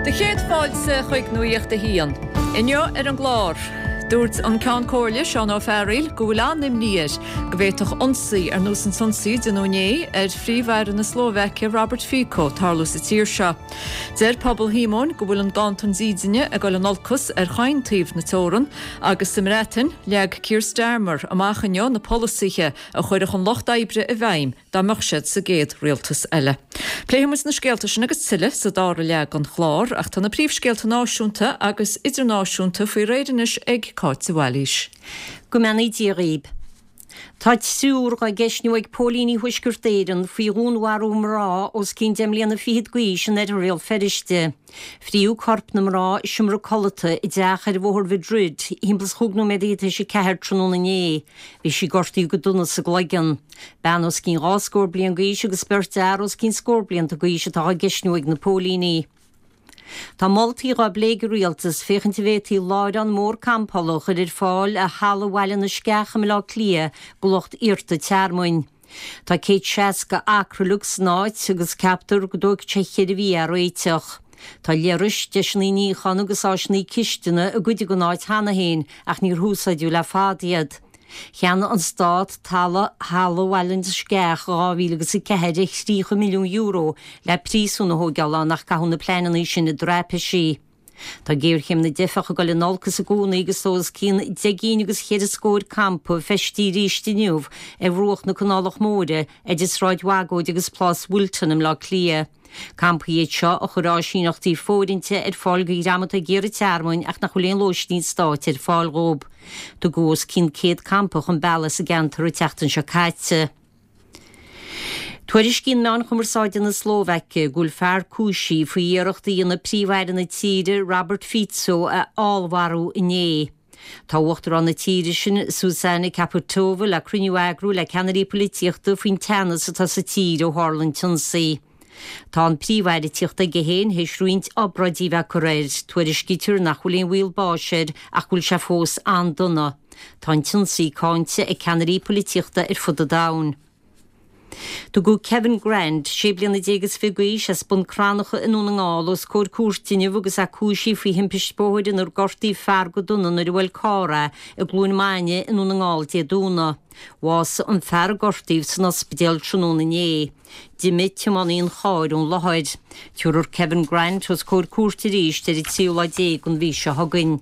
Do chéad fáilte chuig Nuacht a hAon. Inniu ar an gclár, dúirt an Ceann Comhairle, Seán Ó Fearghaíl, go bhfuil an-imní air go bhféadfadh ionsaí ar nós an t-ionsaí a déanadh inné ar Phríomh-Aire na Slóvaice, Robert Fico, tarlú sa tír seo. Deir pobal Shíomóin go bhfuil an ganntan dídine ag dul in olcas ar chaon taobh na teorann agus sa mBreatain, leag Keir Starmer amach inniu na polasaithe a chuirfeadh an Lucht Oibre i bhfeidhm dá mbeadh siad sa gcéad rialtas eile. Pléifidh muid na scéalta sin agus tuilleadh sa dara leath den chlár, ach tá na príomhscéalta náisiúnta agus idirnáisiúnta faoi réir anois ag Cáit de Bhailís. Go mbeannaí Dia dhaoib. Tá triúr dhá gceistniú ag póilíní Thuaisceart Éireann faoi dhúnmharú mná os cionn deich mbliana fichead d'aois in oirthear Bhéal Feirste. Fríodh corp na mná i seomra codlata i dteach ar Bhóthar Mhadrid thimpeall is chúig nóiméadaí tar éis a ceathair tráthnóna inné. Bhí sí gortaithe go dona sa gcloigeann. Bean os cionn dhá scór bliain d'aois agus beirt fhear os cionn scór blianta d'aois atá á gceistniú ag na póilíní. Tá moltaí dhá bplé ag an Rialtas féachaint an bhféadfaí láithreán mór campála a chur ar fáil ar thalamh Bhaile na Sceach i mBaile Átha Cliath do lucht iarrta tearmainn. Tá 160 acra uilig san áit agus ceaptar go dtógfaidh sé cheithre mhí é a réiteach. Tá leithris, deiseanna níocháin agus áiseanna cistine i gcuid den áit cheana féin ach níor húsáideadh le fada iad. Cheannaigh an Stát talamh Halla Bhaile na Sceach i 2004 ar €30 milliún le príosún a thóigeáil ann ach caitheadh na pleananna sin i dtraipisí. Tá géarchéim na dteifeach ag dul in olcas i gcónaí agus tá os cionn deich gcinn agus cheithre scóir campa feistithe arís inniu ar bhruach na Canálach Móire idir Sráid Bhagóid agus Plás Wilton i mBleá Cliath. Campaí iad seo a chuir áisíneachtaí fóirithinte ar fáil do dhream atá ag iarraidh tearmainn ach nach bhfuil aon lóistín stáit ar fáil dhóibh. Tugadh os cionn 100 campa chun bealaigh sa gceantar an tseachtain seo caite. Tuairiscíonn meáin chumarsáide na Slóvaice go bhfuil fear cúisithe faoi iarracht a dhéanamh Príomh-Aire na tíre, Robert Fico, a fheallmharú inné. Tá Uachtarán na tíre sin, Zuzana Caputova, le cruinniú a eagrú le ceannairí poilitíochta faoin teannas atá sa tír ó tharla an t-ionsaí. Tá an Príomh-Aire ag tíocht chuige féin théis roinnt obráidí a bheith curtha air. Tuairiscítear nach bhfuil aon bhaol báis air ach go bhfuil sé fós an-dona. Tá an t-ionsaí cáinte ag ceannairí poilitíochta ar fud an domhain. Tugadh Kevin Grant, sé bliana déag is fiche d'aois, as Bun Cranncha i nDún na nGall os comhair cúirte inniu agus é cúisithe faoi thimpist bóthair inar gortaíodh fear go dona nuair a bhuail carr é i gCluain Maine i nDún na nGall Dé Domhnaigh. Bhásaigh an fear a gortaíodh san ospidéal tráthnóna inné. D'imigh tiománaí an chairr ón láthair. Tabharfar Kevin Grant os comhair cúirte arís ar an tríú lá déag den mhí seo chugainn.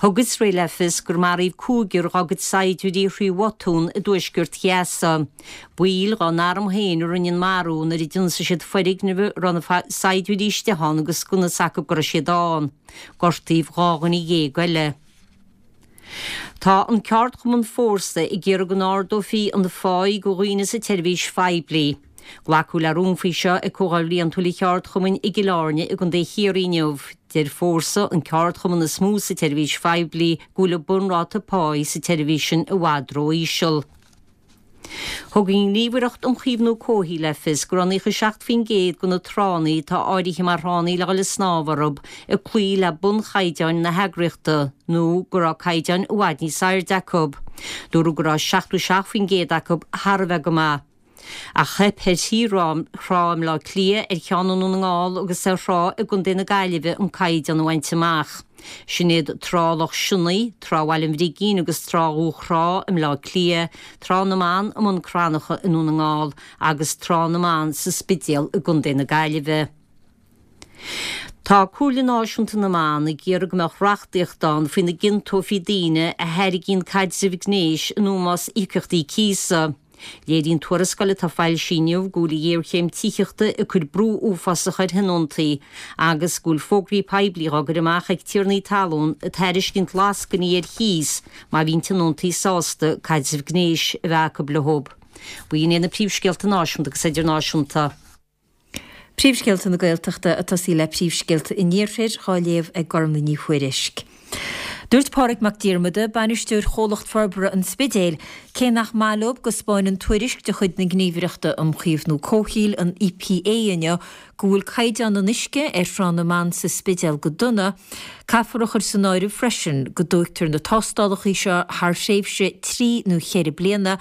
Thug Iosrael le fios gur maraíodh cúigear dá gcuid saighdiúirí thrí bhotún i dtuaisceart Ghaza. Baill dá n-arm féin a rinne an marú nuair a d'ionsaigh siad foirgneamh a raibh na saighdiúirí istigh ann agus gunna s'acu go raibh siad ann. Gortaíodh 12 dhuine eile. Tá an ceardchumann Fórsa ag iarraidh go n-ardófaí an pháí do dhaoine sa tseirbhís phoiblí. Glacadh le rún faoi seo ag Comhdháil Bhliantúil an Cheardchumainn i gCill Airne i gContae Chiarraí inniu. Deir Fórsa, an ceardchumann is mó sa tseirbhís phoiblí, go bhfuil an bunráta páí sa tseirbhís sin i bhfad ró-íseal. Thug an Ghníomhaireacht um Chaomhnú Comhshaoil le fios go raibh 97% de na tránna atá áirithe mar thránna le dhul ag snámh orthu ag cloí le bunchaighdeáin na heagraíochta nó go raibh caighdeáin i bhfad níos airde acu. Dúradh go raibh 77% acu thar a bheith go maith. Ach theip ar thrí thrá i mBleá Cliath, ar cheann i nDún na nGall agus ar thrá i gContae na Gaillimhe an caighdeán a bhaint amach. Sin iad Trá Loch Sionnaigh, Trá Bhaile an Bhrigín agus Trá Dhúchrá i mBleá Cliath, Trá na mBan i mBun Cranncha i nDún na nGall agus Trá na mBan sa Spidéal i gContae na Gaillimhe. Tá Comhairle Náisiúnta na mBan ag iarraidh go mbeadh reachtaíocht ann faoina gciontófaí daoine a thairgíonn caidreamh gnéis in ómós íocaíochtaí cíosa. Léiríonn tuarascáil atá foilsithe inniu go bhfuil an ghéarchéim tithíochta ag cur brú uafásach ar thionóntaí agus go bhfuil fógraí poiblí á gcur amach ag tiarnaí talún ag tairiscint lascainí ar chíos má bhíonn tionóntaí sásta caidreamh gnéis a bheith acu leo. B'in iad na príomhscéalta náisiúnta agus idirnáisiúnta. Príomhscéalta na Gaeltachta ag tosaí le príomhscéalta an Iarthair, dhá léamh ag Gormlaith Ní Thuairisg. Dúirt Pádraig Mac Diarmada, Bainisteoir Chomhlacht Forbartha an Spidéil, cé nach maith leo go 'spáineann tuairisc de chuid na Gníomhaireachta um Chaomhnú Comhshaoil, an EPA, inniu go bhfuil caighdeán an uisce ar Thrá na mBan sa Spidéal go dona, caithfear a chur san áireamh freisin go dtóigtear na tástálacha seo thar thréimhse trí nó cheithre bliana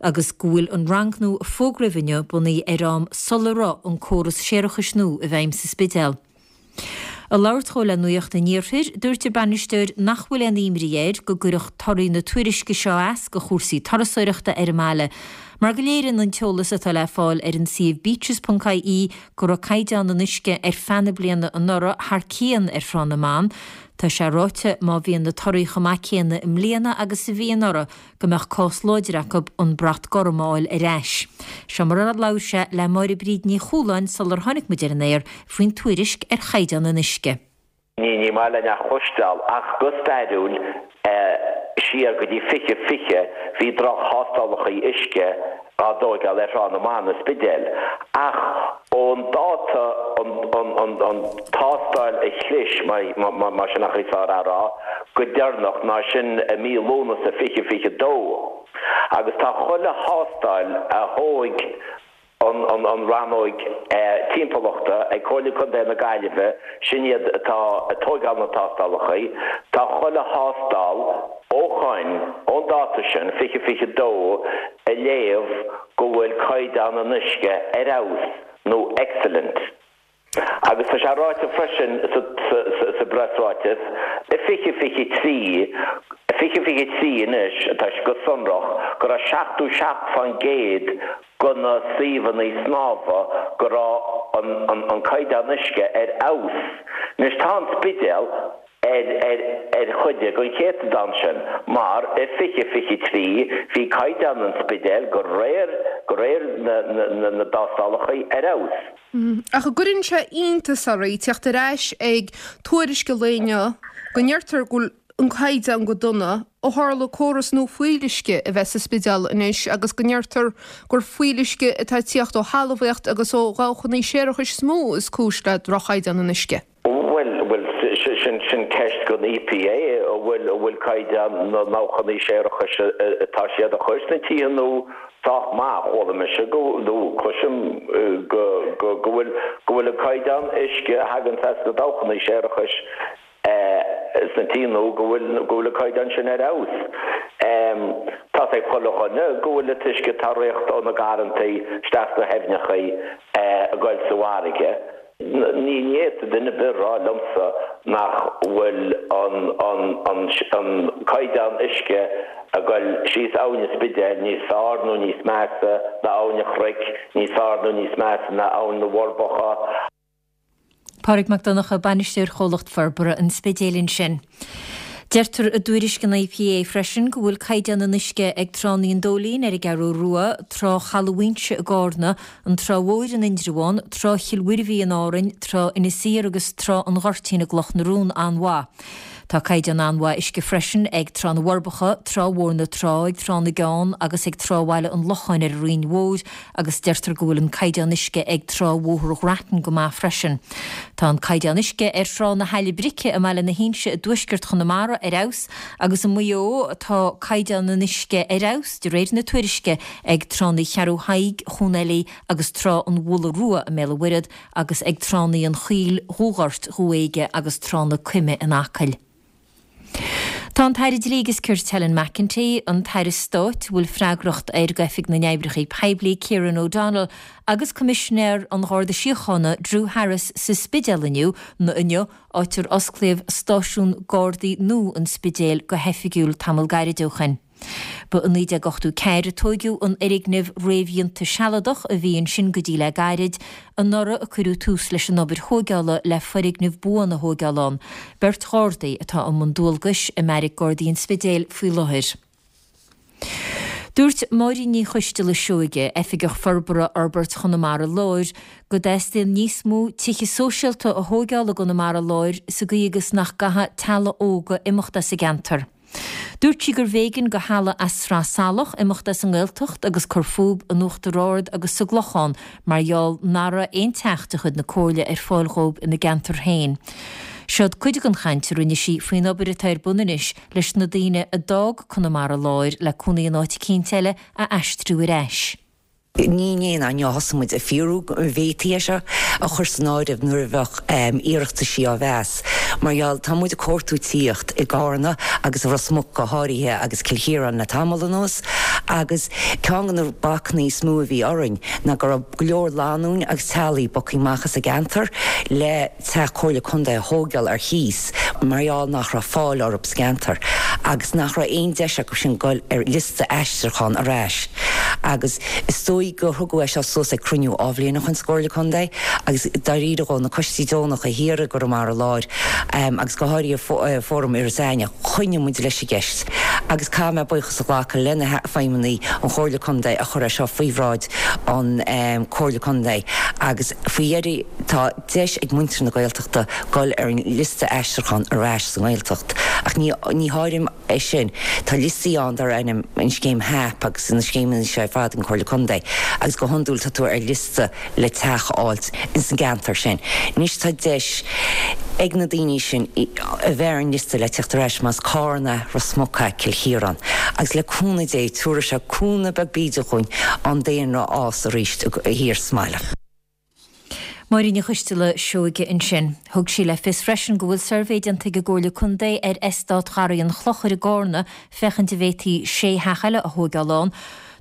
agus go bhfuil an rangnú a fógraíodh inniu bunaithe ar am sula raibh an córas séarachais nua i bhfeidhm sa Spidéal. Ag labhairt dhó le Nuacht an Iarthair, dúirt an bainisteoir nach bhfuil aon imní air go gcuirfeadh torthaí na tuairisce seo as go chúrsaí turasóireachta ar an mbaile, mar go léiríonn an t-eolas atá le fáil ar an suíomh beaches.ie go raibh caighdeán an uisce ar feadh na bliana anuraidh thar cionn ar Thrá na mBan. Tá sé ráite má bhíonn na torthaí chomh maith céanna i mbliana agus a bhí anuraidh, go mbeadh cás láidir acu an brat gorm a fháil ar ais. Seo mar a labhair sé le Máire Bríd Ní Chualáin sular tháinig muid ar an aer faoin tuairisc ar chaighdeán an uisce. Ní ní maith linn a chloisteáil ach go stairiúil siar go dtí 2020 bhí droch-thástálacha uisce á dtóigeáil ar Thrá na mBan, an Spidéal. Ach ón dáta an tástáil a chlis, mar sin an chaoi is fearr a rá, go deireanach ná sin i mí Lúnasa 2022. Agus tá chuile thástáil a thóig an rannóig timpeallachta ag Comhairle Contae na Gaillimhe, sin iad atá ag tóigeáil na tástálacha, tá chuile thástáil ó shoin, ón dáta sin, 2022, ag léamh go bhfuil caighdeán an uisce ar fheabhas nó excellent. Agus tá sé ráite freisin sa bpreasráiteas, i 2023, 2023 anois, atá sé go sonrach, go raibh 77% de na suíomhanna snámha go raibh an caighdeán uisce ar fheabhas. Anois tá an Spidéal ar chuid den chéatadán sin mar i 2023 bhí caighdeán an Spidéil de réir de réir na dtástálacha ar fheabhas. Ach an gcuireann sé iontas oraibh teacht ar ais ag tuairisc an lae inniu go ndeirtear go bhfuil an caighdeán go dona ó tharla córas nua fuíolluisce a bheith sa Spidéal anois agus go ndeirtear gur fuíolluisce atá ag tíocht ó thalmhaíocht agus ó dhabhchanna séarachais is mó is cúis le droch-chaighdeán an uisce. Bhuel, bhuel, sin, sin ceist don EPA, an bhfuil, an bhfuil caighdeán na ndabhchanna séarachais atá siad a chur sna tithe nua sách maith? Chuala mise go, nó cloisim go, go, go bhfuil, go bhfuil an caighdeán uisce a thagann as na dabhchanna séarachais sna tithe nua, go bhfuil, go bhfuil an caighdeán sin ar fheabhas. Tá's ag chuile dhuine go bhfuil an t-uisce atá ag rith ó na garrantaí isteach sna haibhneacha ag goil sa bhfarraige. Ní fhéadfadh duine ar bith a rá liomsa nach bhfuil an caighdeán uisce ag goil síos Abhainn an Spidéil níos fearr nó níos measa ná Abhainn an Chnoic, níos fearr nó níos measa ná Abhainn na bhForbacha. Pádraig Mac Donncha, Bainisteoir Chomhlacht Forbartha an Spidéil ansin. Deirtear i dtuairisc an EPA freisin go bhfuil caighdeán an uisce ag Tránna an Dóilín ar an gCeathrú Rua, Trá Chaladh Mhuínse i gCárna, an Trá Mhóir in Indreabhán, Trá Chill Mhuirbhigh in Árainn, Trá Inis Oírr agus Trá an Ghoirtín i gCloch na Rón an-mhaith. Tá caighdeán an-mhaith uisce freisin ag Trá na bhForbacha, Trá Mhór na Trá, ag Trá na gCeann agus ag Trá Bhaile an Locháin ar an Rinn Mhór agus deirtear go bhfuil an caighdeán uisce ag Trá Bhóthar Ghrattan go maith freisin. Tá an caighdeán uisce ar Thrá na hAille Brice i mBaile na hInse i dtuaisceart Chonamara ar fheabhas agus i Maigh Eo tá caighdeán an uisce ar fheabhas, de réir na tuairisce, ag Tránna Cheathrú Thaidhg, Chuan Eilí agus Trá an Bhulla Rua i mBéal an Mhuirthead agus ag Tránna an Choill, Dhúghort, Dhú Éige agus Trá na Coime in Acaill. Tá an tAire Dlí agus Cirt Helen McEntee, an tAire Stáit a bhfuil freagracht air d'Oifig na nOibreacha Poiblí Kieran O'Donnell agus Coimisinéir an Gharda Síochána Drew Harris sa Spidéal inniu, inniu, áit ar osclaíodh stáisiún Gardaí nua an Spidéil go hoifigiúil tamall gairid ó shin. Ba i 1984 a tóigeadh an fhoirgneamh réamhdhéanta sealadach a bhí ansin go dtí le gairid. Anuraidh a cuireadh tús leis an obair thóigeála le foirgneamh buan a thóigeáil ann. Beirt Ghardaí atá i mbun dualgais i mBeairic Gardaí an Spidéil faoi láthair. Dúirt Máirín Ní Choisteala Seoige, Oifigeach Forbartha Fhorbairt Chonamara Láir, go dteastaíonn níos mó tithe sóisialta a thóigeáil i gConamara Láir sa gcaoi agus nach gcaithfidh teaghlaigh óga imeacht as an gceantar. Dúirt sí gurbh éigean do theaghlaigh as Sraith Salach imeacht as an nGaeltacht agus cur fúb in Uachtar Ard agus sa gClochán mar gheall nach raibh aon teach de chuid na Comhairle ar fáil dhóibh ina gceantar féin. Seod cuid den chaint a rinne sí faoin obair atá ar bun anois leis na daoine a d'fhág Conamara Láir le cónaí in áit eicínt eile a aistriú ar ais. Ní inné ná inniu a thosaigh muid ag fiafraí go bhféadfaí é seo a chur san áireamh nuair a bheadh iarrataisí á mheas. Mar gheall, tá muid ag cuartú tithíocht i gCarna agus i Ros Muc go háirithe agus Cill Chiaráin le tamall anuas agus ceann de na bacanna is mó a bhí orainn ná go raibh go leor lánúin agus teaghlaigh bogtha amach as an gceantar le teach Comhairle Contae a thóigeáil ar chíos mar gheall nach raibh fáil orthu sa gceantar agus nach raibh aon deis acu sin goil ar liosta aistriúcháin ar ais agus is dóigh gur thugadh é seo suas ag cruinniú athbhliana ó shin sa gComhairle Contae agus dáiríre dhó na coistí deonacha thiar i gConamara Láir agus go háirithe Fóram Iorras Aithneach choinnigh muid leis an gceist agus caithfidh mé buíochas a ghlacadh le na feidhmeannaigh an Chomhairle Contae a chuir é seo faoi bhráid an Comhairle Contae agus faoi dheireadh tá deis ag muintir na Gaeltachta dul ar an liosta aistriúcháin ar ais sa nGaeltacht. Ach ní ní háirim é sin. Tá liostaí ann dar ainm an scéim HAP agus na scéimeanna seo ar fad ag an Chomhairle Contae agus go hiondúil tá tú ar liosta le teach a fháilt ins an gceantar sin. Anois tá deis ag na daoine sin a bheith ar an liosta le teacht ar ais más Carna, Ros Muc, Cill Chiaráin. Agus le cúnamh Dé tabharfaidh sé cúnamh beag bídeach dhúinn an daonra a fhás arís thiar sa mbaile. Máirín Ní Choisteala Seoige ansin. Thug sí le fios freisin go bhfuil suirbhé déanta ag an gComhairle Contae ar Eastát Gharraí an Chlochair i gCárna féachaint an bhféadfaí sé theach eile a thóigeáil ann.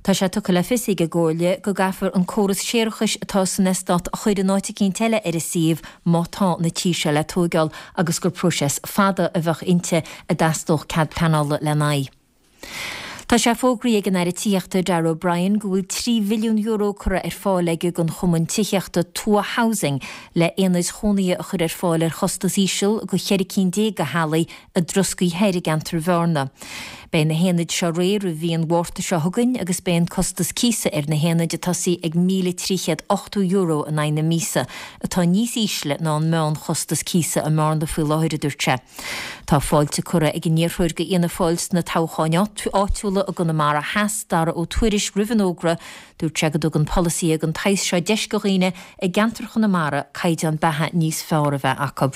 Tá sé tugtha le fios ag an gComhairle go gcaithfear an córas séarachais atá san eastát a chur in áit eicínt eile ar an suíomh má tá na tithe seo le tóigeáil agus gur próiseas fada a bheadh inti a dteastódh cead pleanála lena aghaidh. Tá sé fógraithe ag an Aire Tithíochta Darragh O'Brien go bhfuil €3 mhilliún curtha ar fáil aige don chumann tithíochta Tuath Housing le aonaid chónaithe a chur ar fáil ar chostas íseal do cheithre cinn déag de theaghlaigh i dTroscaí Thoir i gceantar Bhearna. Beidh na haonaid seo réidh roimh mhí an Mhárta seo chugainn agus beidh an costas cíosa ar na haonaid ag tosaí ag €1,380 in aghaidh na míosa, atá níos ísle ná an meánchostas cíosa i mBearna faoi láthair, a dúirt sé. Tá fáilte curtha ag an iarrthóir do Fhianna Fáil sna toghcháin áitiúla i gConamara Theas, Dara Ó Tuairisg, roimh an fhógra. Dúirt sé go dtugann polasaithe den tsaghas seo deis do dhaoine i gceantar Chonamara caighdeán beatha níos fearr a bheith acu.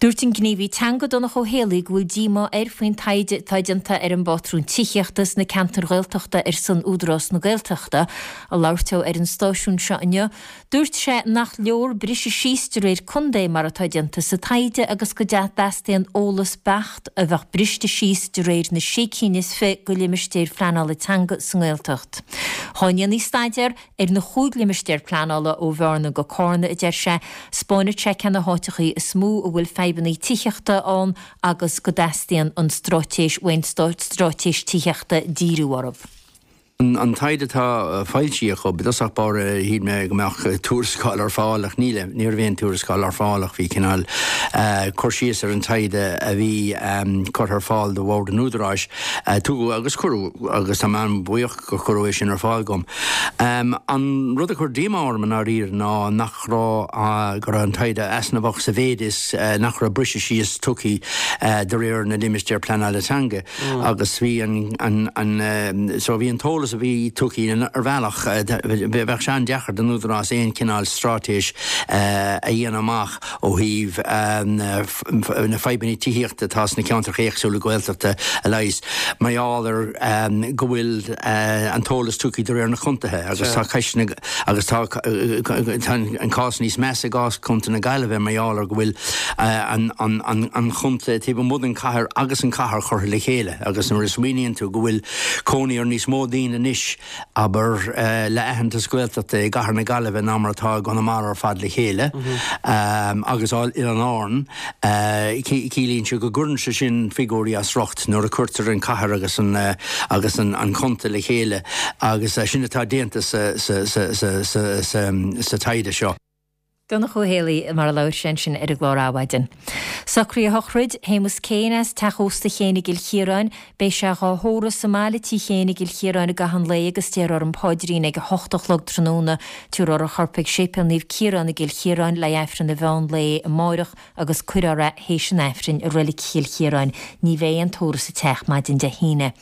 Dúirt an gníomhaí teanga Donncha Ó Héalaí go bhfuil díomá air faoin taighde atá déanta ar an bpátrún tithíochta sna ceantair Ghaeltachta ar son Údarás na Gaeltachta. Ag labhairt dó ar an stáisiún seo inniu, Dúirt sé nach leor briseadh síos de réir contae mar atá déanta sa taighde agus go dteastaíonn eolas beacht a bheadh briste síos de réir na sé cinn is fi de limistéir phleanála teanga sa nGaeltacht. Dhá ndéanfaí staidéar ar na chúig limistéar pleanála ó Bhearna go Cárna, a deir sé, 'spáinfeadh sé cé na háiteachaí is mó a bhfuil fadhbanna tithíochta ann agus go dteastaíonn an straitéis uainn straitéis tithíochta díriú orthu. An taighde atá foilsithe acu, i dtosach báire shíl mé go mbeadh tuarascáil ar fáil ach níl, ní raibh aon tuarascáil ar fáil ach bhí cineál cur síos ar an taighde a bhí curtha ar fáil do Bhord an Údaráis. Tugadh agus cuireadh agus tá mé an-bhuíoch gur cuireadh é sin ar fáil dom. An rud a chuir díomá orm i ndáiríre ná nach raibh, go raibh an taighde easnamhach sa mhéid is nach raibh briseadh síos tugtha de réir na limistéar pleanála teanga. Agus bhí an, an, so bhí an t-eolas a bhí tugtha ar bhealach, bheadh sé an-deacair don Údarás aon chineál straitéis a dhéanamh amach ó thaobh na fadhbanna tithíochta atá sna ceantracha éagsúla Gaeltachta a leigheas mar gheall ar go bhfuil an t-eolas tugtha de réir na contaetha agus tá ceisteanna agus tá an cás níos measa i gcás Chontae na Gaillimhe mar gheall ar go bhfuil an chontae taobh amuigh den chathair agus an chathair curtha le chéile agus nuair a smaoiníonn tú go bhfuil cónaí ar níos mó daoine anois, abair, le aitheantas Gaeltachta i gcathair na Gaillimhe ná mar atá i gConamara ar fad le chéile agus Oileáin Árann, ciallaíonn sé go gcuireann sé sin figiúirí as riocht nuair a cuirtear an cathair agus an agus an contae le chéile agus sin atá déanta sa sa taighde seo. Donncha Ó Héalaí mar a labhair sé ansin ar an gclár Adhmhaidin. Socruithe shochraid Shéamus Kane as Teach Ósta Chéin i gCill Chiaráin. Beidh sé dhá thórramh sa mbaile Tí Chéin i gCill Chiaráin i gcaitheamh an lae agus déarfar an paidrín ag 8 a chlog tráthnóna. Tabharfar a chorp ag Séipéal Naomh Ciarán i gCill Chiaráin le Aifreann an mheán lae amáireach agus cuirfear é théis an Aifrinn i Reilig Chill Chiaráin. Ní bheidh aon tórramh sa teach maidin Dé hAoine.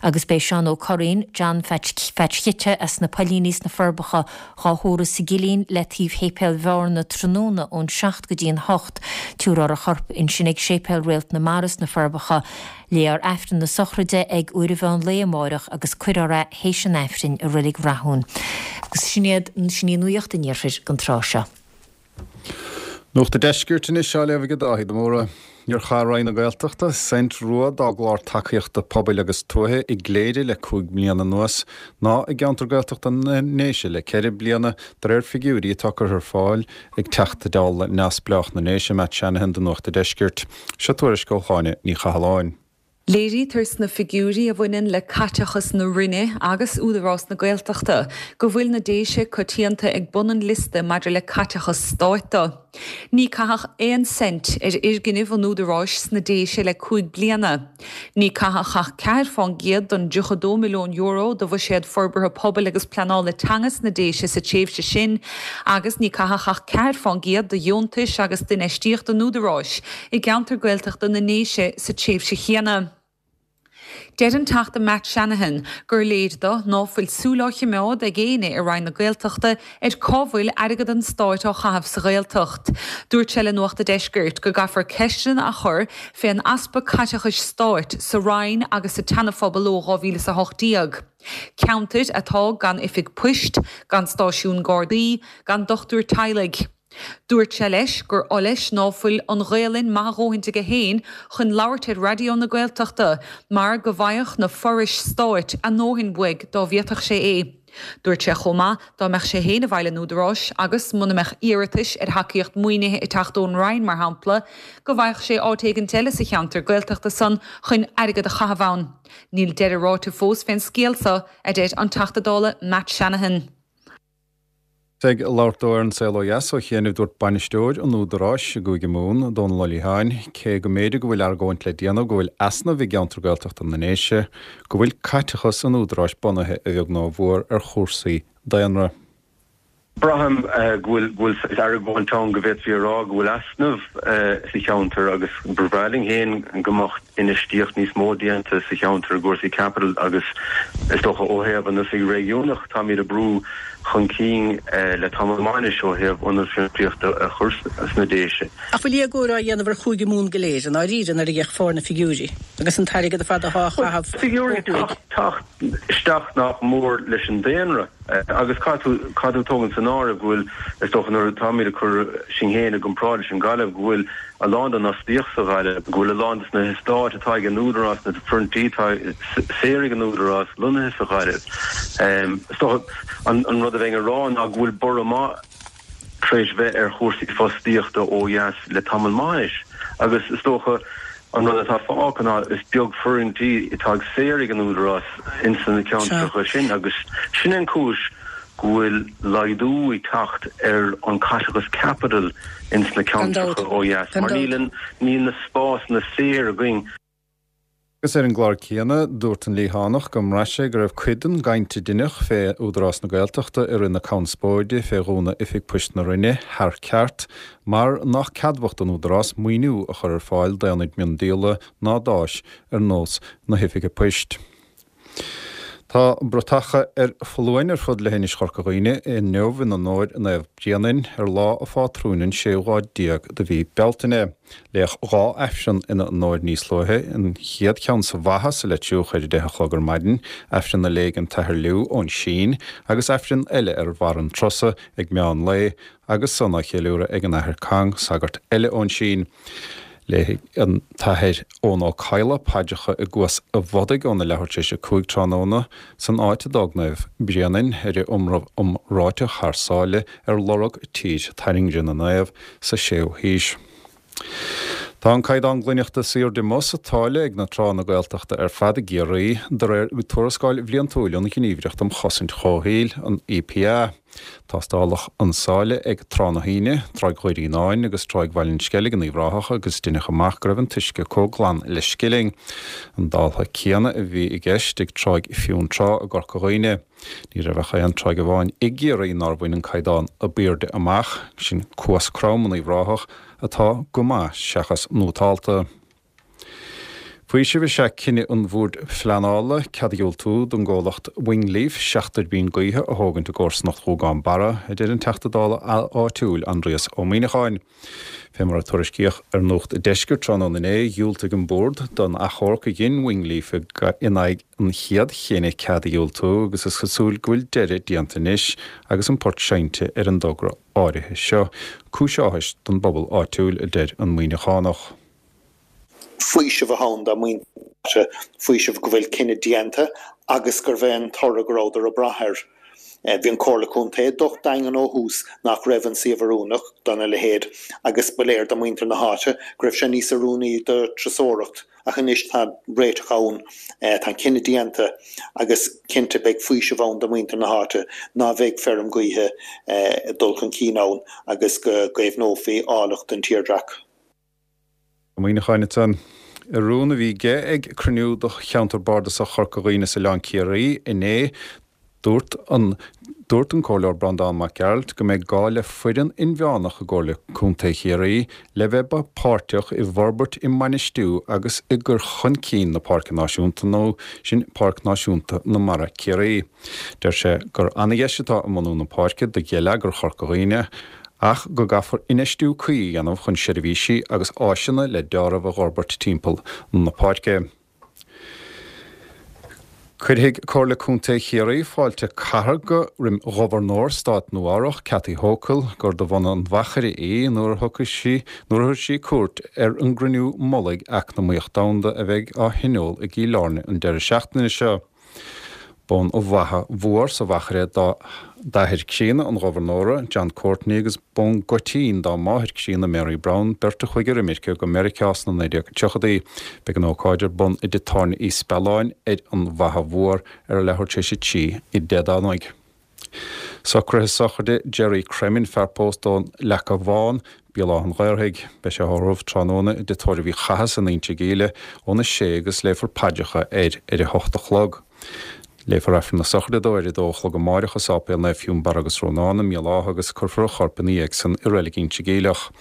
Agus beidh Seán Ó Curraoin, John Phatch Khitte as na Poillíní sna Forbacha, dhá thórramh sa gCillín le taobh Shéipéal Bhearna. gCarna tráthnóna ón 7 go dtí an 8. Tabharfar a chorp ansin ag Séipéal Réalt na Mara sna Forbacha. Léifear Aifreann na sochraide ag uair an mheán lae amáireach agus cuirfear é théis an Aifrinn i Reilig Rathún. Agus sin iad, sin í nuacht an Iarthair don tráth seo. Nuacht an Deiscirt anois á léamh ag Dáithí de Mórdha. Níor chaith Roinn na Gaeltachta cent rua dá gclár tacaíochta pobail agus tuaithe i gCléire le 5 bliana anuas, ná i gceantar Gaeltachta na nDéise le 4 bliana, de réir figiúirí atá curtha ar fáil ag Teachta Dála neamhspleách na nDéise, Matt Shanahan do Nuacht an Deiscirt. Seo tuairisc ó Shláine Ní Chathalláin. Léirítear sna figiúirí a bhaineann le caiteachas na Roinne agus Údarás na Gaeltachta go bhfuil na Déise coitianta ag bun an liosta maidir le caiteachas stáit de. Ní caitheadh aon cent ar fhoirgnimh an Údaráis sna Déise le 5 bliana. Ní caitheadh ach 4 fán gcéad den €32 milliún de bhuiséad forbartha pobail agus pleanála teanga sna Déise sa tréimhse sin agus ní caitheadh ach 4 fán gcéad de dheontais agus d'infheistíocht an Údaráis i gceantar Gaeltachta na nDéise sa tréimhse chéanna. Deir an Teachta Matt Shanahan gur léir do ná fuil súil á chimeád ag éinne i Roinn na Gaeltachta ar cá bhfuil airgead an stáit á chaitheamh sa Ghaeltacht. Dúirt sé le Nuacht a' Deiscirt go gcaithfear ceisteanna a chur fén easpa caiteachais stáit sa Roinn agus sa tSeana-Phobal ó 2018. Ceantair atá gan oifig poist, gan stáisiún Gardaí, gan dochtúir teaghlaigh. Dúirt sé leis gur oth leis ná fuil an Ghaelainn maith a dhóthaint aige féin chun labhairt ar Raidió na Gaeltachta mar go bhfaigheadh na forais stáit a ndóthain uaidh dá bhféadfadh sé é. Dúirt sé chomh maith dá mbeadh sé féin i bhfeighil an Údaráis agus muna mbeadh iarratais ar thacaíocht maoinithe ag teacht ón Roinn, mar shampla, go bhfaigheadh sé áit éigint eile sa cheantar Gaeltachta san chun airgead a chaitheamh ann. Níl deireadh ráite fós fén scéal so, a deir an Teachta Dála Matt Shanahan. Ag labhairt dó ar An Saol Ó Dheas ó chianaibh dúirt bainisteoir an Údaráis i gCúige Mumhan, Dónal Ó Liatháin, cé go mb'fhéidir go bhfuil argóint le déanamh go bhfuil easnamh i gceantar Gaeltachta na nDéise, go bhfuil caiteachas an Údaráis bunaithe a bheag nó a mhór ar chúrsaí daonra. Braithim go bhfuil go bhfuil saghas argóint ann go bhféadfaí a rá go bhfuil easnamh sa cheantar agus ba bhreá linn féin go mbeadh infheistíocht níos mó déanta sa cheantar i gcúrsaí caipitil agus is dócha ó thaobh an oifig réigiúnach táimid ag brú chun cinn le tamall maith anois ó thaobh ionad fiontraíochta a chur sna Déise. Ach bhfuil éagóir á dhéanamh ar Chúige Mumhan go léir i ndáiríre nuair a fhéachfar ar na figiúirí agus an t-airgead ar fad atá á chaitheamh ó Figiúirí ag teacht isteach nach mór leis an daonra. Agus caithfidh tú, caithfidh tú tógaint san áireamh go bhfuil, is dócha nuair atáimid ag cur sinn féin i gcomparáid leis an Ghaillimh, go bhfuil a lán den fhostaíocht sa Ghaillimh, go bhfuil a lán des na heastáit atá ag an Údarás, na foirntí atá saor ag an Údarás lonnaithe sa Ghaillimh. Is dócha an rud a bheinn a rá ná go bhfuil borradh maith tar éis bheith ar chúrsaí fostaíochta ó dheas le tamall maith anois agus is dócha an rud atá fágtha ná is beag foirntí atá ag saor ag an Údarás ins na ceantracha sin agus sin an chúis go bhfuil laghdú ag teacht ar an caiteachas caipitil ins na ceantracha ó dheas mar níl níl na spásanna saor againn. Agus ar an gclár céanna, dúirt an Liathánach go mbraith sé go raibh cuid den gcaint a deineadh fé Údarás na Gaeltachta i rith na conspóide fé dhúnadh Oifig Poist na Rinne thar ceart mar nach ceadmhach don Údarás maoiniú a chur ar fáil d'aonaid miondíola ná d'áis ar nós na hOifige Poist. Tá bratacha ar foluain ar fud leithinis Chorca Dhuibhne inniu in onóir Naomh Bréanainn ar lá a phátrúin an séú lá déag de mhí Bealtaine. Léadh 2 Aifreann ina onóir níos luaithe, an chéad cheann sa Bhatha sa Leitriúch ar a deich a chlog ar maidin, Aifreann a léigh an tAthair Liú ón Sín, agus Aifreann eile ar bharr an Trosa ag meán lae, agus san á cheiliúradh ag an Athair Kang, sagart eile ón Sín. Léifidh an tAthair Eoin Ó Cadhla paidreacha i gCuas a' Bhodaigh óna leathuair tar éis 5 tráthnóna, san áit a d'fhág Naomh Bréanainn ar a iomramh iomráiteach thar sáile ar lorg Tír Tairngre na Naomh sa 6ú haois. Tá an caighdeán glaineachta is airde amuigh sa tsáile ag na tránna Gaeltachta ar fad i gCiarraí, de réir tuarascáil bhliantúil ón Ghníomhaireacht um Chosaint Chomhshaoil, an EPA. Tástáladh an sáile ag Trá na hAoine, Tráigh Dhoirínáin agus Tráigh Bhaile an Sceilg in Uíbh Ráthach agus deineadh amach go raibh an t-uisce comh glan le scilling. An dáltha céanna a bhí i gceist ag Tráigh Fionntrá i gCorca Dhuibhne. Ní raibh ach aon tráigh amháin i gCiarraí nár bhain an caighdeán ab aoirde amach, sin Cuas Crom in Uíbh Ráthach, atá go maith seachas nótálta. Faoiseamh is ea cinneadh an Bhoird Phleanála cead a dhiúltú don gcomhlacht Wingleaf 7 dtuirbín gaoithe a thógaint i gcomharsanacht Ghúgán Barra, a deir an Teachta Dála áitiúil Aindrias Ó Muíneacháin. Fé mar a tuairiscíodh ar Nuacht a' Deiscirt tráthnóna inné, dhiúltaigh an Bord don achomharc a dhein Wingleaf in aghaidh an chéad chinnidh cead a dhiúltú agus is cosúil go bhfuil deireadh déanta anois agus an port seinnte ar an dtogra áirithe seo. Cúis áthais don bpobal áitiúil, a deir an Muíneachánach. Faoiseamh atá ann do mhuintir na háite, faoiseamh go bhfuil cinneadh déanta agus gurbh é an toradh go rabhadar ag brath air. Bhí an Comhairle Contae docht daingean ó thús nach raibh an suíomh oiriúnach dona leithéid agus ba léir do mhuintir na háite go raibh sé níos oiriúnaí do turasóireacht ach anois tá réiteach ann, tá an cinneadh déanta agus cinnte beidh faoiseamh ann do mhuintir na háite ná bheidh feirm gaoithe ag dul chun cinn ann agus go gcaomhnófaí áilleacht an tírdhreach. Muineacháin ansan. I rún a bhí aige ag cruinniú do cheantar bardasach Chorca Dhuibhne is Oileán Ciarraí inné, dúirt an dúirt an Comhairleoir Breandán Mac Gearailt go mbeidh gá le foireann inmheánach i gComhairle Contae Chiarraí le bheith páirteach i bhforbairt, i mbainistiú agus i gcur chun cinn na Páirce Náisiúnta nó sin Páirc Náisiúnta na Mara Ciarraí. Deir sé gur ana-dheis atá i mbunú na páirce do gheilleagar Chorca Dhuibhne ach go gcaithfear infheistiú cuí a dhéanamh chun seirbhísí agus áiseanna le deáramh a dh'fhorbairt timpeall na páirce. Cuirfidh Comhairle Contae Chiarraí fáilte cathartha roim Ghobharnóir Stát Nua-Eabhrac, Kathy Hochul, gur de bhunadh an Mhachaire í, nuair a thiocfaidh sí nuair a thabharfaidh sí cuairt ar an gCruinniú Mullaigh Eacnamaíoch Domhanda a bheidh á thionól i gCill Airne an deireadh seachtaine seo. B'ón Mhacha Mhór sa Mhachaire d'athair críonna an Ghobharnóra, John Courtney, agus b'ón gCoitín dá máthair críonna, Mary Brown, beirt a chuaigh ar imirce go Meiriceá sna 1930idí. Beidh an ócáid ar bun i dTigh Tábhairne Uí Spealáin ar an Mhacha Mhór ar a leathuair tar éis a 3 Dé Domhnaigh. Socruithe sochraide Gerry Cremin, fear pósta ón Leaca Bhán, Béal Átha an Ghaorthaidh. Beidh sé á thórramh tráthnóna i dTigh Tórraimh Uí Chathasaigh in Inse Gíle óna sé agus léifear paidreacha air ar a hocht a chlog. Léifear Aifreann na sochraide dó ar a dó a chlog amáireach i Sáipéal Naomh Fionnbarra agus Rónán i mBéal Átha agus cuirfear a chorp ina dhiaidh san i Reilig Inse Geimhleach.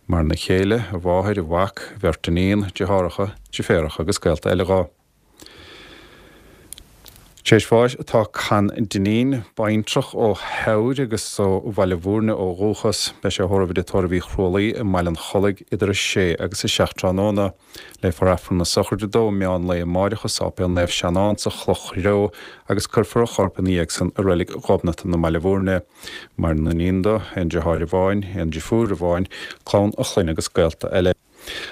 Maireann a chéile, a mháthair, a mhac, a bheirt iníon, deartháireacha, deirféaracha agus gaolta eile dho. Tar éis bháis atá Con Dineen, baintreach ó Theamhair agus ó Bhaile Bhúirne ó dhúchas. Beidh sé á thórramh i dTigh Tórraimh Uí Chrualaoi i mBaile an Chollaigh idir 6 agus 7 tráthnóna. Léifear Aifreann na sochraide dó meán lae amáireach i Sáipéal Naomh Seanán sa Chloch Threo agus cuirfear a chorp ina dhiaidh san i Reilig Ghobnatan i mBaile Bhúirne. Maireann iníon dó, aon deartháir amháin, aon deirfiúr amháin, clann a chlainne agus gaolta eile.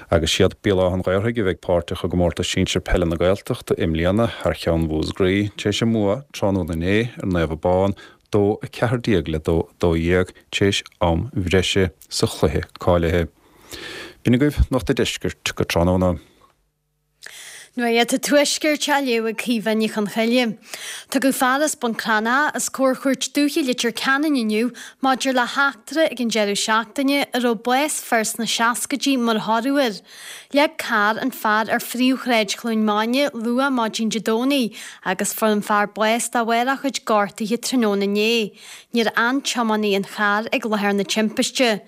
Agus siad Béal Átha an Ghaorthaidh a bheidh páirteach i gComórtas Sinsir Peile na Gaeltachta i mbliana thar cheann Mhúscraí, tar éis a mbua tráthnóna inné ar Naomh Abán, 2, 14 le 2, 12, tar éis am bhreise sa chluiche cáilithe. B'in agaibh Nuacht a' Deiscirt go tráthnóna. Nuacht an Tuaiscirt á léamh ag Caoimhe Ní Chonchoille. Tugadh fear as Bun Cranncha os comhair Chúirt Dúiche Leitir Ceanainn inniu maidir le heachtra ag an deireadh seachtaine a raibh bás fir sna seascaidí mar thoradh air. Leag carr an fear ar phríomhshráid Chluain Maine luath maidin Dé Domhnaigh agus fuair an fear bás de bharr a chuid gortuithe tráthnóna inné. Níor fhan tiománaí an chairr ag láthair na timpiste.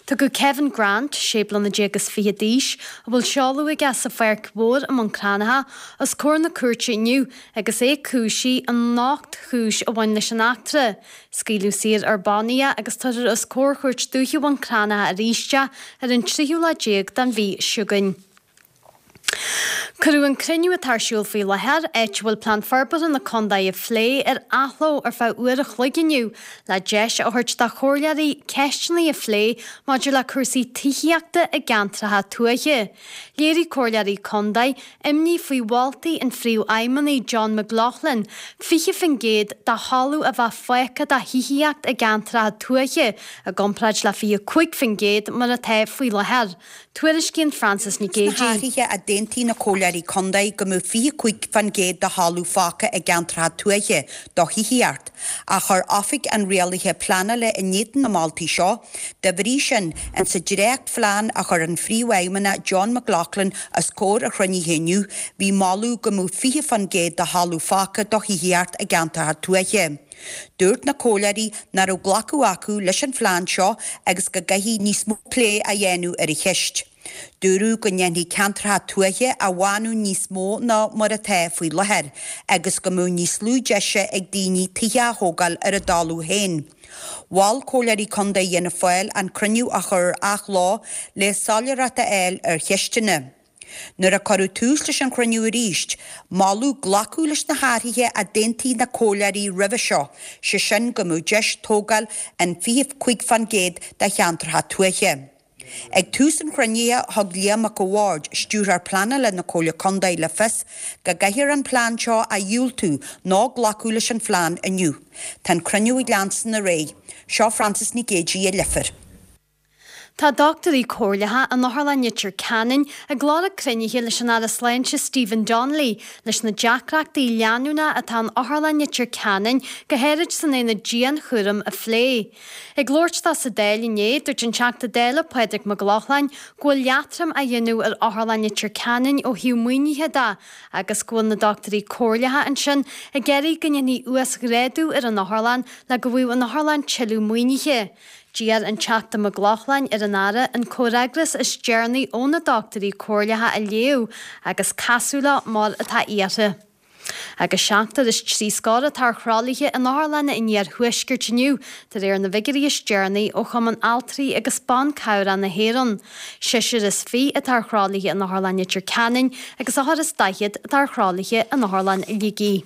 Tugadh Kevin Grant, sé bliana déag is fichead d'aois, a bhfuil seoladh aige sa Pháirc Mhór i mBun Cranncha, os comhair na cúirte inniu agus é cúisithe in ocht gcúis a bhain leis an eachtra. Scaoileadh saor ar bannaí é agus tabharfar os comhair Chúirt Dúiche Bhun Cranncha arís é ar an tríú lá déag den mhí seo chugainn. Cuireadh an cruinniú atá ar siúl faoi láthair, áit a bhfuil Plean Forbartha na Condae á phlé, ar athló ar feadh uair a chloig inniu le deis a thabhairt do chomhairleoirí ceisteanna a phlé maidir le cúrsaí tithíochta i gceantracha tuaithe. Léirigh comhairleoirí condae imní faoi mholtaí an Phríomhfheidhmeannaigh John McLaughlin 20% de thalamh a bheith fágtha do thithíocht i gceantracha tuaithe i gcomparáid le 25% mar atá faoi láthair. Tuairiscíonn Frances Nic Sna Géadaigh. hathruithe a d'aontaigh na comhairleoirí contae go mbeadh 25 fán gcéad de thalamh fágtha i gceantracha tuaithe do thithíocht, ach chuir Oifig an Rialaithe Pleanála in éadan na moltaí seo. Dá bhrí sin, in sa dréachtphlean a chuir an Phríomhfheidhmeannach John McLaughlin os comhair a chruinnithe inniu, bhí moladh go mbeadh 20 fán gcéad de thalamh fágtha do thithíocht i gceantracha tuaithe. Dúirt na comhairleoirí nach raibh glacadh acu leis an phlean seo agus go gcaithfidh níos mó plé a dhéanamh ar an cheist. Dúradh go ndéanfaí ceantracha tuaithe a bhánú níos mó ná mar atá faoi láthair agus go mbeadh níos lú deise ag daoine tithe a thógáil ar a dtalamh féin. Mhol Comhairleoirí Contae Fhianna Fáil an cruinniú a chur ar athló le soiléireacht a fháil ar cheisteanna. Nuair a cuireadh tús leis an chruinniú arís, moladh glacadh leis na hathruithe a d'aontaigh na comhairleoirí roimhe seo, sé sin go mbeadh deis tógáil in 25% de cheantracha tuaithe. Ag tús an chruinnithe, thug Liam Mac a' Bhaird, Stiúrthóir Pleanála na Comhairle Contae le fios go gcaithfear an plean seo a dhiúltú nó glacadh leis an phlean inniu. Tá an cruinniú ag leanstan ar aghaidh. Seo Frances Nic Géadaigh i Leifear. Tá dochtúirí comhairleacha in Otharlann Leitir Ceanainn ag lorg cruinnithe leis an Aire Sláinte Stephen Donnelly leis na deacrachtaí leanúnacha atá in Otharlann Leitir Ceanainn, go háirid san aonad dianchúraim, a phlé. Ag labhairt dó sa Dáil inné, dúirt an Teachta Dála Pádraig Mac Lochlainn go bhfuil leatrom á dhéanamh ar Otharlann Leitir Ceanainn ó thaobh maoinithe de agus go bhfuil na dochtúirí comhairleacha ansin ag iarraidh go ndéanfaí uasghrádú ar an otharlann le go bhfaigheadh an otharlann tuilleadh maoinithe. D'iarr an Teachta Mac Lochlainn ar an Aire an comhfhreagras is deireanaí ó na dochtúirí comhairleacha a léamh agus casadh leo mar atá iarrtha. Agus seachtar is trí scór atá ar thralaithe in otharlanna an iarthuaiscirt inniu, de réir na bhfigiúirí is deireanaí ó Chumann Altraí agus Ban Cabhrach na hÉireann. Seisear is fiche atá ar thralaithe in Otharlann Leitir Ceanainn agus ochtar is daichead atá ar thralaithe in Otharlann Shligigh.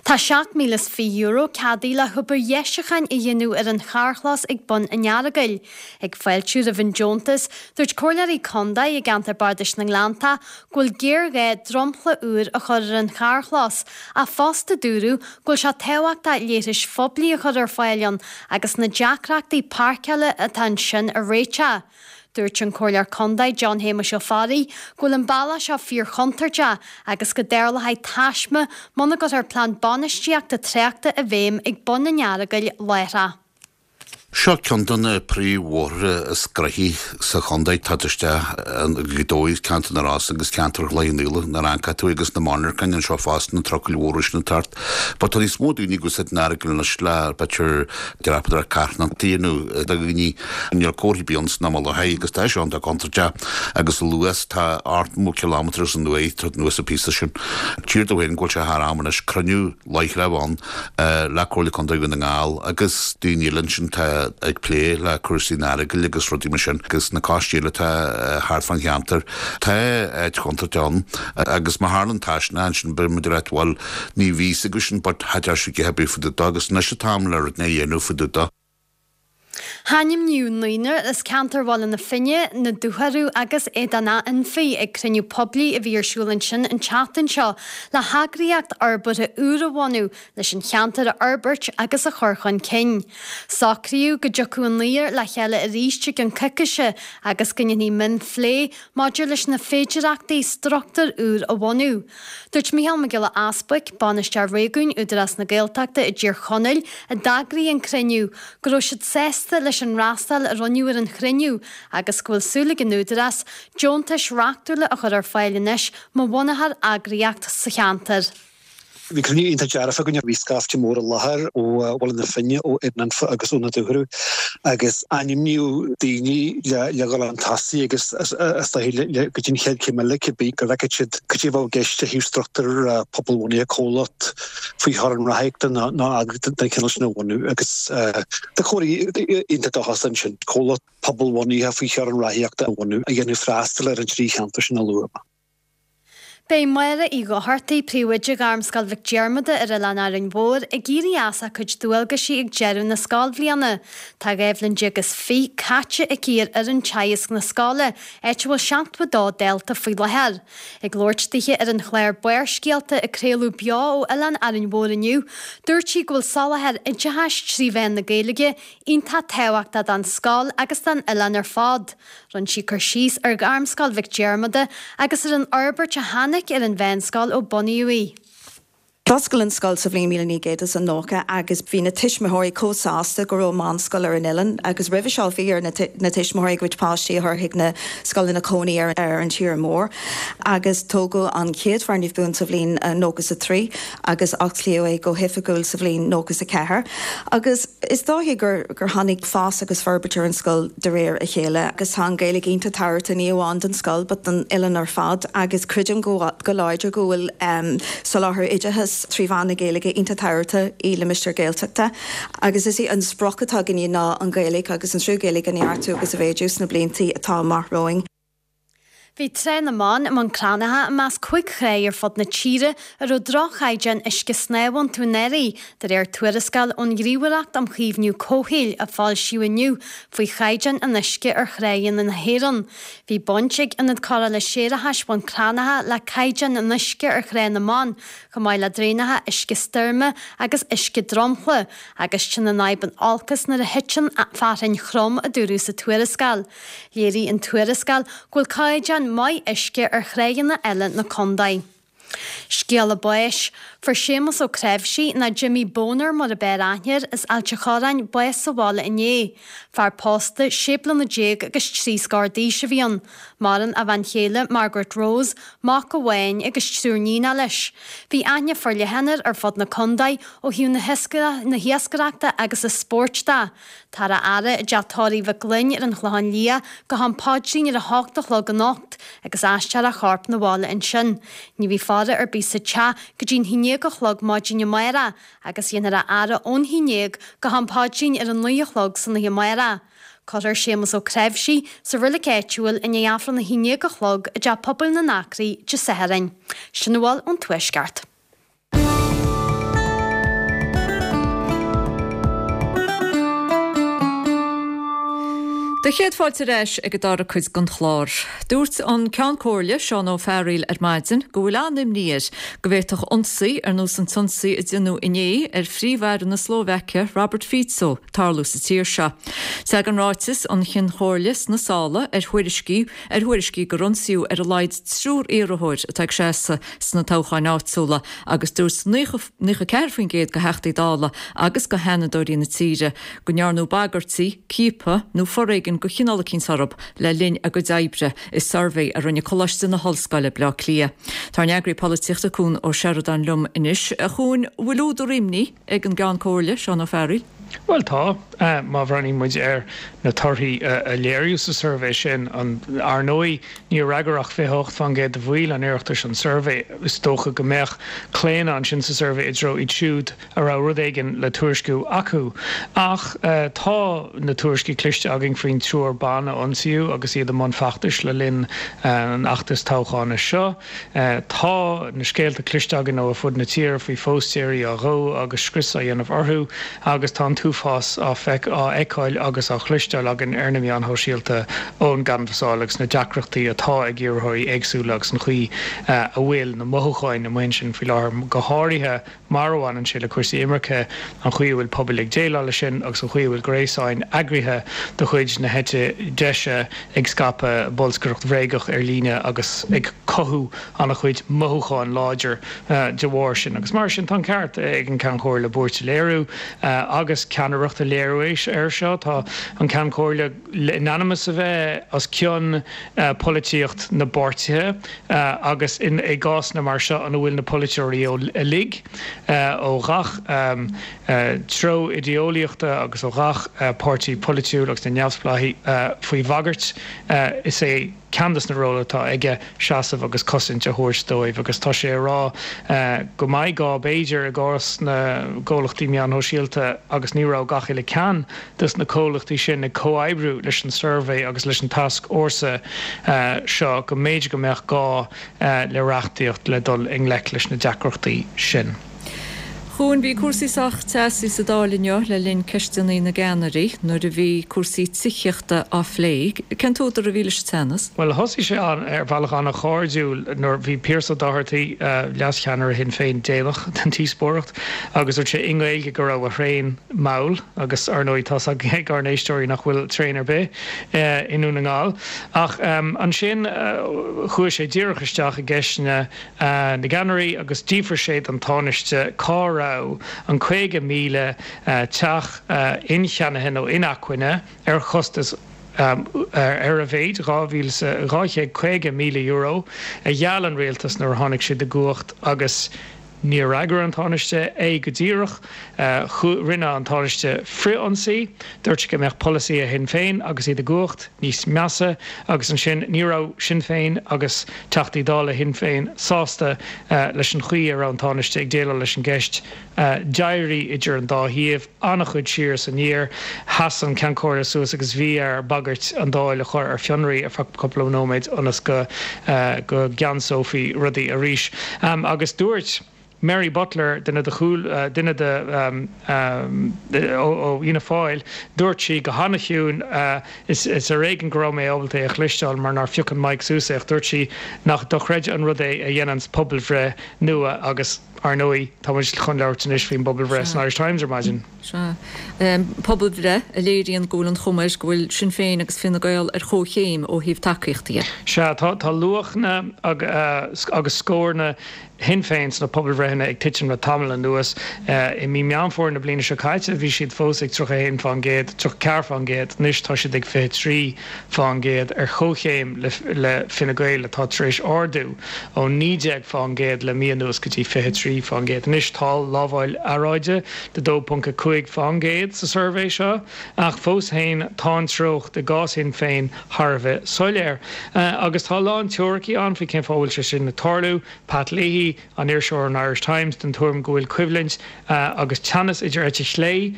Tá €7,020 ceadaithe le hobair dheisiúcháin a dhéanamh ar an charrchlós ag Bun an Earagail. Ag fáiltiú roimh an deontas, dúirt Comhairleoirí Contae i gceantar Bardais na nGleanntach go bhfuil géarghá dromchla úr a chur ar an charrchlós, ach fosta dúradh go bhfuil sé tábhachtach leithris phoiblí a chur ar fáil ann agus na deacrachtaí páirceála atá ansin a réiteach. Dúirt an Comhairleoir Contae John Shéamuis Ó Fearraigh go bhfuil an bealach seo fíorchontúirteach agus go dtarlóidh taisme muna gcuirfear plean bainistíochta tráchta i bhfeidhm ag Bun an Earagail láithreach. Seo ceann de na príomhbhóithre is gnoithí sa chontae. Tá isteach go Gaoth Dobhair, ceantar na Rosann agus ceantar Chloich Cheann Fhaola nuair a amharcann tú agus na monarchain anseo fosta, na trucail mhóra sin ag teacht. But tá níos mó daoine ag úsáid an Earagail anois le b'fhéidir dreapadóireacht carthanachta a dhéanamh do dhaoine. Níl comhartha ar bith ann san am i láthair agus tá sé iontach contúirteach agus an luas tá 80 kilometres an uair ag anuas an píosa sin. Tír dó féin go bhfuil sé thar am anois cruinniú láithreach a bheith ann le Comhairle Contae Dhún na nGall agus daoine eile ansin atá ag plé le cúrsaí an Earagail agus rudaí mar sin agus na coistí eile atá thart fán cheantar. Tá áit chontúirteach ann agus má tharlann taisme ansin beidh muid ag ráit bhuel ní bhí fhios agaibh sin but cha deir siad a dhath ar bith fá dtaobh dó agus anois an t-am le rud a dhéanamh fá dtaobh dó. Ainmníodh naonúr as ceantar Bhaile na Finne, na Dúchoradh agus Éadan Anfaigh ag cruinniú poiblí a bhí ar siúl ansin an tseachtain seo le heagraíocht fhorbartha úr a bhunú leis an cheantar a fhorbairt agus a chur chun cinn. Socraíodh go dtiocfadh an naonúr le chéile arís i gceann coicíse agus go ndéanfaí mionphlé maidir leis na féidearthachtaí struchtúr úr a bhunú. Dúirt Mícheál Mac Giolla Easbuic, Bainisteoir Réigiúin Údarás na Gaeltachta i dTír Chonaill, a d'eagraigh an cruinniú, go raibh siad sásta leis an fhreastal a rinneadh ar an chruinniú agus go bhfuil súil ag an Údarás deontais reachtúla a chur ar fáil anois mar bhunaitheoir eagraíocht sa cheantar. Bhí cruinniú iontach dearfach againn. Bhí scaifte mór i láthair ó Bhaile na Finne, ó Éadan Anfa agus ó na Dúchoradh agus ainmníodh daoine le dhul chun tosaigh agus is dóichí le go dtí an chéad chéim eile cibé go bhfeicfeadh siad cad é a bheadh i gceist ó thaobh struchtúr pobalbhunaithe, comhlacht faoi theorainn ráthaíochta nó eagraíocht den chineál sin a bhunú agus tá comhrá iontach dóchasach ansin, comhlacht pobalbhunaithe faoi theorainn ráthaíochta a bhunú a dhéanfadh freastal ar an trí cheantar sin a luaigh mé. Beidh Máire Uí Dhochartaigh, Príomhoide Ghairmscoil Mhic Diarmada ar Oileán Árainn Mhór, ag éirí as a cuid dualgaisí ag deireadh na scoilbhliana. Tá 12 bhliain is fiche caite aici ar fhoireann teagaisc na scoile, áit a bhfuil 72 dalta faoi láthair. Ag labhairt dithe ar an chlár Barrscéalta a craoladh beo ó Oileán Árainn Mhór inniu, dúirt sí go bhfuil soláthar oideachais trí mheán na Gaeilge iontach tábhachtach don scoil agus don oileán ar fad. Rinne sí cur síos ar Ghairmscoil Mhic Diarmada agus ar an fhorbairt a tháinig ar an mheánscoil ó bunaíodh í. D'oscail an scoil sa bhliain 1990 agus bhí na tuismitheoirí chomh sásta go raibh meánscoil ar an oileán agus roimhe seo bhí ar na tuismitheoirí a gcuid páistí a chur chuig na scoileanna cónaí ar an tír mór agus tógadh an chéad foirgneamh buan sa bhliain 93 agus osclaíodh é go hoifigiúil sa bhliain 94 agus is dóiche gur gur tháinig fás agus forbairt ar an scoil de réir a chéile agus tá an Ghaeilge iontach tábhachtach ní amháin don scoil but don oileán ar fad agus creidim go go láidir go bhfuil soláthar oideachais trí mheán na Gaeilge iontach tábhachtach i limistéar Gaeltachta agus is é an sprioc atá againne ná an Ghaeilge agus an triú Gaeilge a neartú agus a mhéadú sna blianta atá amach romhainn. Bhí Trá na mBan i mBun Cranncha i measc 5 thrá ar fud na tíre a raibh droch-chaighdeán uisce snámha iontu anuraidh, de réir tuarascáil ón Ghníomhaireacht um Chaomhnú Comhshaoil a foilsíodh inniu faoi chaighdeán an uisce ar thráigheanna na hÉireann. Bhí baint ag Ionad Cóireála Séarachais Bhun Cranncha le caighdeán an uisce ar Thrá na mBan, chomh maith le draenacha uisce stoirme agus uisce dromchla, agus téann an fhadhb in olcas nuair a thiteann fearthainn throm, a dúradh sa tuarascáil. Léirigh an tuarascáil go bhfuil caighdeán maith uisce ar thráigheanna eile na contae. Scéala báis. Fuair Séamus Ó Creimhsí, nó Jimmy Boner mar a b'fhearr aithne air, as Ailt a' Chorráin, bás sa bhaile inné. Fear pósta, sé bliana agus trí scór d'aois a bhí ann. Maireann a bhean chéile, Margaret Rose, mac amháin agus triúr níonacha leis. Bhí aithne forleathan air ar fud na contae ó thaobh na hiascaireachta agus an spóirt de. Táthar á fhaire i dteach tórraimh Mhic Gloinn ar an Chlochán Liath go ham paidrín ar a hocht a chlog anocht agus aistreofar a chorp 'na bhaile ansin. Ní bheidh faire ar bith sa teach go dtí'n haon déag a chlog maidin amárach agus dhéanfar a fhaire ón haon déag go ham paidrín ar a naoi a chlog san oíche amárach. Cuirfear Séamus Ó Creimhsí sa roilig áitiúil i ndiaidh Aifreann a haon déag a chlog i dTeach Pobail na nAcraí Dé Sathairn. Sin a bhfuil ón Tuaisceart. Do chéad fáilte ar ais ag an dara cuid den chlár. Dúirt an Ceann Comhairle, Seán Ó Fearghaíl ar maidin go bhfuil an-imní air go bhféadfadh ionsaí ar nós an t-ionsaí a déanadh inné ar Phríomh-Aire na Slóvaice, Robert Fico, tarlú sa tír seo. Tagann ráiteas an Chinn Chomhairle sna sála ar thuairiscí ar thuairiscí gur ionsaíodh ar a laghad triúr iarrthóir atá ag seasamh sna toghcháin áitiúla agus dúirt 94% de Theachtaí Dála agus de Sheanadóirí na tíre go ndearnadh bagairtí, ciapadh nó foréigean de chineál eicínt orthu le linn a gcuid oibre i suirbhé a rinne Coláiste na hOllscoile, Bleá Cliath. Tá ár n-eagraí polaitíochta Cuan Ó Seireadáin liom anois. A Chuain, bhfuil údar imní ag an gCeann Comhairle, Seán Ó Fearghaíl? Bhuel tá. Má bhreathnaíonn muid ar na torthaí a léiríodh sa suirbhé sin, ar ndóigh níor fhreagair ach 28% de bhaill an Oireachtais an suirbhé. Is dócha go mbeadh claonadh ansin sa suirbhé i dtreo iad siúd a raibh rud éigin le tuairisciú acu. Ach tá na tuairiscí cloiste againn faoin triúr ban a ionsaíodh agus iad i mbun feachtais le linn an fheachtais toghcháin seo. Tá na scéalta cloiste againn ó ar fud na tíre faoi phóstaeirí á dhó agus scrios á dhéanamh orthu agus tá an t-uafás á fheiceáil agus á chloisteáil againn ar na meáin shóisialta ón gcanbhasáil agus na deacrachtaí atá ag iarrthóirí éagsúla agus an chaoi a bhfuil na mothúcháin amuigh ansin faoi láthair, go háirithe mar a bhaineann sé le cúrsaí imirce, an chaoi a bhfuil pobail ag déileáil leis sin agus an chaoi a bhfuil gréasáin eagraithe de chuid na heite deise ag scaipeadh bolscaireacht bhréagach ar líne agus ag cothú an-chuid mothúcháin láidir de bharr sin. Agus mar sin, tá an ceart ag an Ceann Comhairle buairt a léiriú agus ceannaireacht a léiriú air seo. Tá an Ceann Comhairle in ainm is a bheith os cionn polaitíocht na bpáirtithe agus i gcásanna mar seo ina bhfuil na polaiteoirí uilig ó ghach treo idé-eolaíochta agus ó ghach páirtí polaitiúil agus na neamhspleáigh faoi bhagairt, is é ceann de na róil atá aige seasamh agus cosaint a thabhairt dóibh agus tá sé ag rá go mbeidh gá b'fhéidir i gcás na gcomhlachtaí meáin shóisialta agus ní raibh gach uile ceann dos na comhlachtaí sin ag comhoibriú leis an suirbhé agus leis an tascfhórsa seo go mb'fhéidir go mbeadh gá le reachtaíocht le dul i ngleic leis na deacrachtaí sin. Chuain, bhí cúrsaí sách teasaí sa Dáil inniu le linn ceisteanna na gceannairí nuair a bhí cúrsaí tithíochta á phlé. Cén t-údar a bhí leis an teannas? Bhuel, thosaigh sé ar bhealach an-chairdiúil nuair bhí Pearse Ó Dochartaigh, leascheannaire Shinn Féin, déanach den díospóireacht agus dúirt sé i nGaeilge go raibh a thraein mall agus, ar ndóigh, tá's ag ár n-éisteoirí nach bhfuil traein ar bith i nDún na nGall. Ach ansin chuaigh sé díreach isteach i gceisteanna na gceannairí agus d'fhiafraigh sé den Tánaiste cá raibh an 50,000 teach incheannaithe nó inacmhainne ar chostas ar a mhéid €250,000 a gheall an rialtas nuair a tháinig siad i gcumhacht agus Níor fhreagair an Tánaiste é go díreach. Rinne an Tánaiste frith-ionsaí. Dúirt sé go mbeadh polasaithe Shinn Féin agus iad i gcumhacht níos measa agus ansin ní raibh Sinn Féin agus Teachtaí Dála Shinn Féin sásta leis an chaoi a raibh an Tánaiste ag déileáil leis an gceist. D'éirigh idir an dá thaobh an-chuid siar is aniar. Sheas an Ceann Comhairle suas agus bhí air bagairt an Dáil a chur ar fionraí ar feadh cúpla nóiméad ionas go go gceansófaí rudaí arís. Agus dúirt Mary Butler, duine de chúl, duine de ó Fhianna Fáil, dúirt sí go han-chiúin, is ar éigean go raibh mé ábalta é a chloisteáil mar nár phioc an mic suas é, ach dúirt sí nach dochreidte an rud é a dhéananns pobalbhreith nua agus, Ar ndóigh, tá muid chun labhairt anois faoin bpobalbhreith san Irish Times ar maidin. Sea. Pobalbhreith a léiríonn go bhfuil an chuma air go bhfuil Sinn Féin agus Fine Gael ar chomhchéim ó thaobh tacaíochta dhe. Sea, tá luachanna agus scóranna Shinn Féin sna pobalbhreitheanna ag titim le tamall anuas. I mí Meán Fómhair na bliana seo caite bhí siad fós ag 31%, 34%, anois tá siad ag 23%. fán gcéad, ar chomhchéim le Fine Gael atá tar éis ardú ó 19 fán gcéad le mí anuas go dtí 23 fán gcéad. Anois tá lamháil earráide de 2.5 fán gcéad sa suirbhé seo ach fós féin tá an treocht i gcás Shinn Féin thar a bheith soiléir. Agus tá a lán teoiricí ann faoi cén fáth a bhfuil sé sin ag tarlú. Pat Leahy, an iriseoir ón Irish Times, den tuairim go bhfuil coimhlint agus teannas idir eite chlé,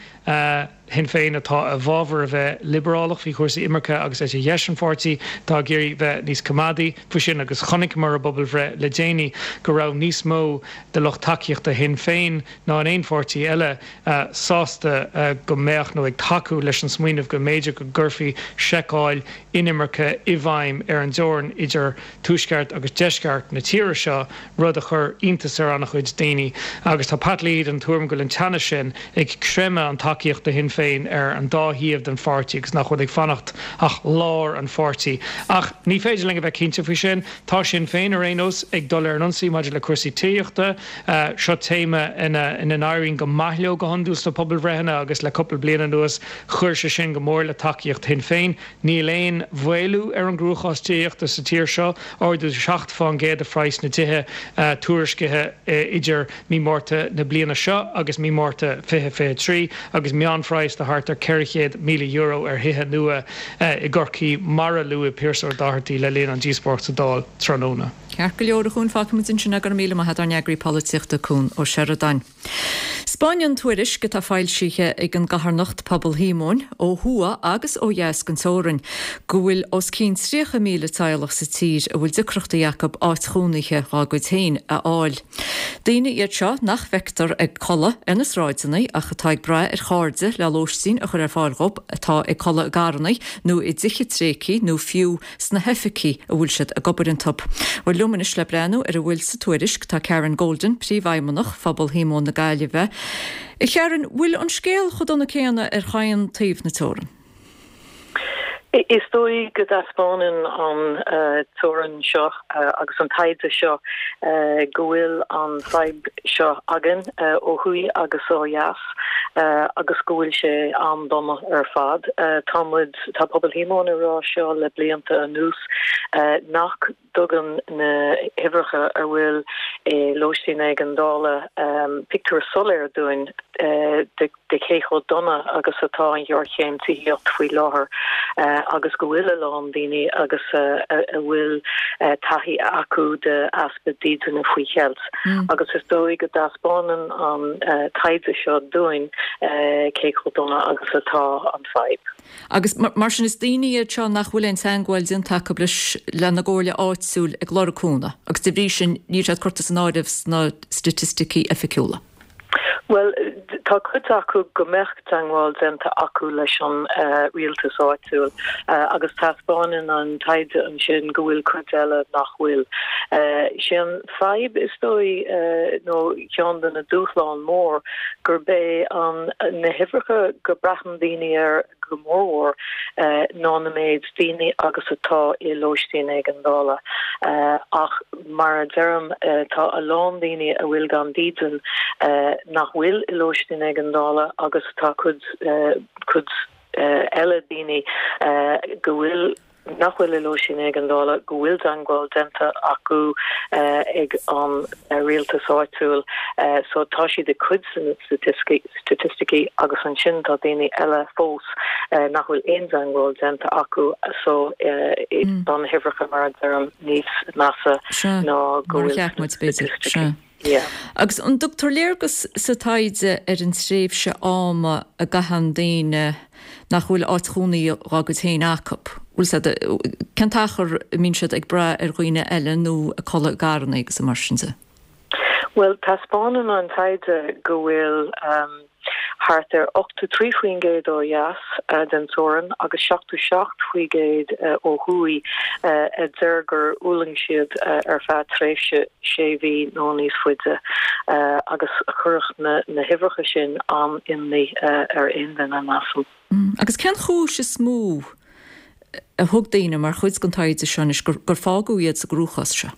Shinn Féin atá i bhfabhar a bheith liobrálach faoi chúrsaí imirce agus eite dheis an pháirtí atá ag iarraidh bheith níos coimeádaí faoi sin agus chonaiceamar i bpobalbhreith le déanaí go raibh níos mó de lucht tacaíochta Shinn Féin ná in aon pháirtí eile sásta go mbeadh nó ag tacú leis an smaoineamh go mb'fhéidir go gcuirfí seiceáil inimirce i bhfeidhm ar an dteorainn idir tuaisceart agus deisceart na tíre seo, rud a chuir iontas ar an-chuid daoine. Agus tá Pat Leahy den tuairim go bhfuil an teannas sin ag creimeadh an tacaíocht do Shinn Féin ar an dá thaobh den pháirtí agus nach bhfuil ag fanacht ach lár an pháirtí. Ach ní féidir linn a bheith cinnte faoi sin. Tá Sinn Féin, ar aon nós, ag dul ar an ionsaí maidir le cúrsaí tithíochta. Seo téama ina n-éiríonn go maith leo go hiondúil sna pobalbhreitheanna agus le cúpla bliain anuas chuir sé sin go mór le tacaíocht Shinn Féin. Níl aon mhaolú ar an gcruachás tithíochta sa tír seo, ardú 7 fán gcéad i phraghas na dtithe tuairiscithe idir mí Márta na bliana seo agus mí Márta 2023 agus meánphraghas de thart ar €400,000 ar thithe nua i gCorcaigh mar a luaigh Pearse Ó Dochartaigh le linn an díospóireacht sa Dáil tráthnóna. Ceart go leor a Chuain, fágfaimid ansin é, go raibh míle maith agat ár n-eagraí polaitíochta Cuan Ó Seireadáin. 'Spáineann tuairisc atá foilsithe ag an gcarthanacht Pobal Shíomóin, ó thuaidh agus ó dheas den teorainn, go bhfuil os cionn 30,000 teaghlach sa tír a bhfuil deacrachtaí acu áit chónaithe dhá gcuid féin a fháil. Daoine iad seo nach bhfeictear ag codladh ar na sráideanna ach atá ag brath ar chairde le lóistín a chur ar fáil dhóibh, atá ag codladh i gcarranna nó i dtithe tréigthe nó fiú sna hoifigí a bhfuil siad ag obair iontu. Bhuel, liom anois le breathnú ar a bhfuil sa tuairisc tá Karen Golden, Príomhfheidhmeannach Phobal Shíomóin na Gaillimhe. A Karen, bhfuil an scéal chomh dona céanna ar chaon taobh na teorann? Is dóigh go dtaispeánann an tuairim seo agus an taighde seo go bhfuil an fadhb seo againn ó thuaidh agus ó dheas agus go bhfuil sé an-dona ar fad. Tá muid Tá Pobal Shíomóin ag rá seo le blianta anuas nach dtugann na huimhreacha a bhfuil i lóistín éigeandála pictiúr soiléir dúinn de cé chomh dona agus atá an ghéarchéim tithíocht faoi láthair agus go bhfuil a lán daoine agus a bhfuil taithí acu de easpa dídine faoi cheilt. Agus is dóigh go dtaispeánann an taighde seo dúinn cé chomh dona agus atá an fadhb. Agus mar sin is daoine iad seo nach bhfuil aon teangmháil déanta acu leis lena gcomhairle áitiúil ag lorg cúnamh agus de bhrí sin níl siad curtha san áireamh sna staitisticí oifigiúla. Bhuel, tá cuid acu go mbeadh teagmháil déanta acu leis an rialtas áitiúil agus taispeánann an taighde ansin go bhfuil cuid eile nach bhfuil. Sé an fadhb is dóigh nó ceann de na dúshláin mór gurb é an na huimhreacha go braitheann daoine air go mórmhór ná na méid daoine agus atá i lóistín éigeandála. Ach mar a deirim, tá a lán daoine a bhfuil gan dídean nach bhfuil i lóistín éigeandála agus tá cuid cuid eile daoine go bhfuil nach bhfuil i lóistín éigeandála, go bhfuil teagmháil déanta acu ag an rialtas áitiúil so tá siad i cuid de na staitisticí agus ansin tá daoine eile fós nach bhfuil aon teagmháil déanta acu so tá na huimhreacha mar a deirim níos measa ná go bhfuil sna staitisticí. Agus an dtugtar léargas sa taighde ar an tréimhse ama a gcaitheann daoine nach bhfuil áit chónaí dhá gcuid féin acu? Bhfuil 's a'd, cén t-achar a mbíonn siad ag brath ar dhaoine eile nó ag codladh i gcarranna agus mar sin de? Bhuel, taispeánann an taighde go bhfuil. Thart ar 83% ó dheas den teorainn agus 77% ó thuaidh a deir gur fhulaing siad ar feadh tréimhse sé mhí nó níos faide agus chuirfeadh na huimhreacha sin an-imní ar aon duine, measaim. Agus cén chúis is mó a thug daoine mar chuid den taighde seo anois gur fágadh iad sa gcruachás seo?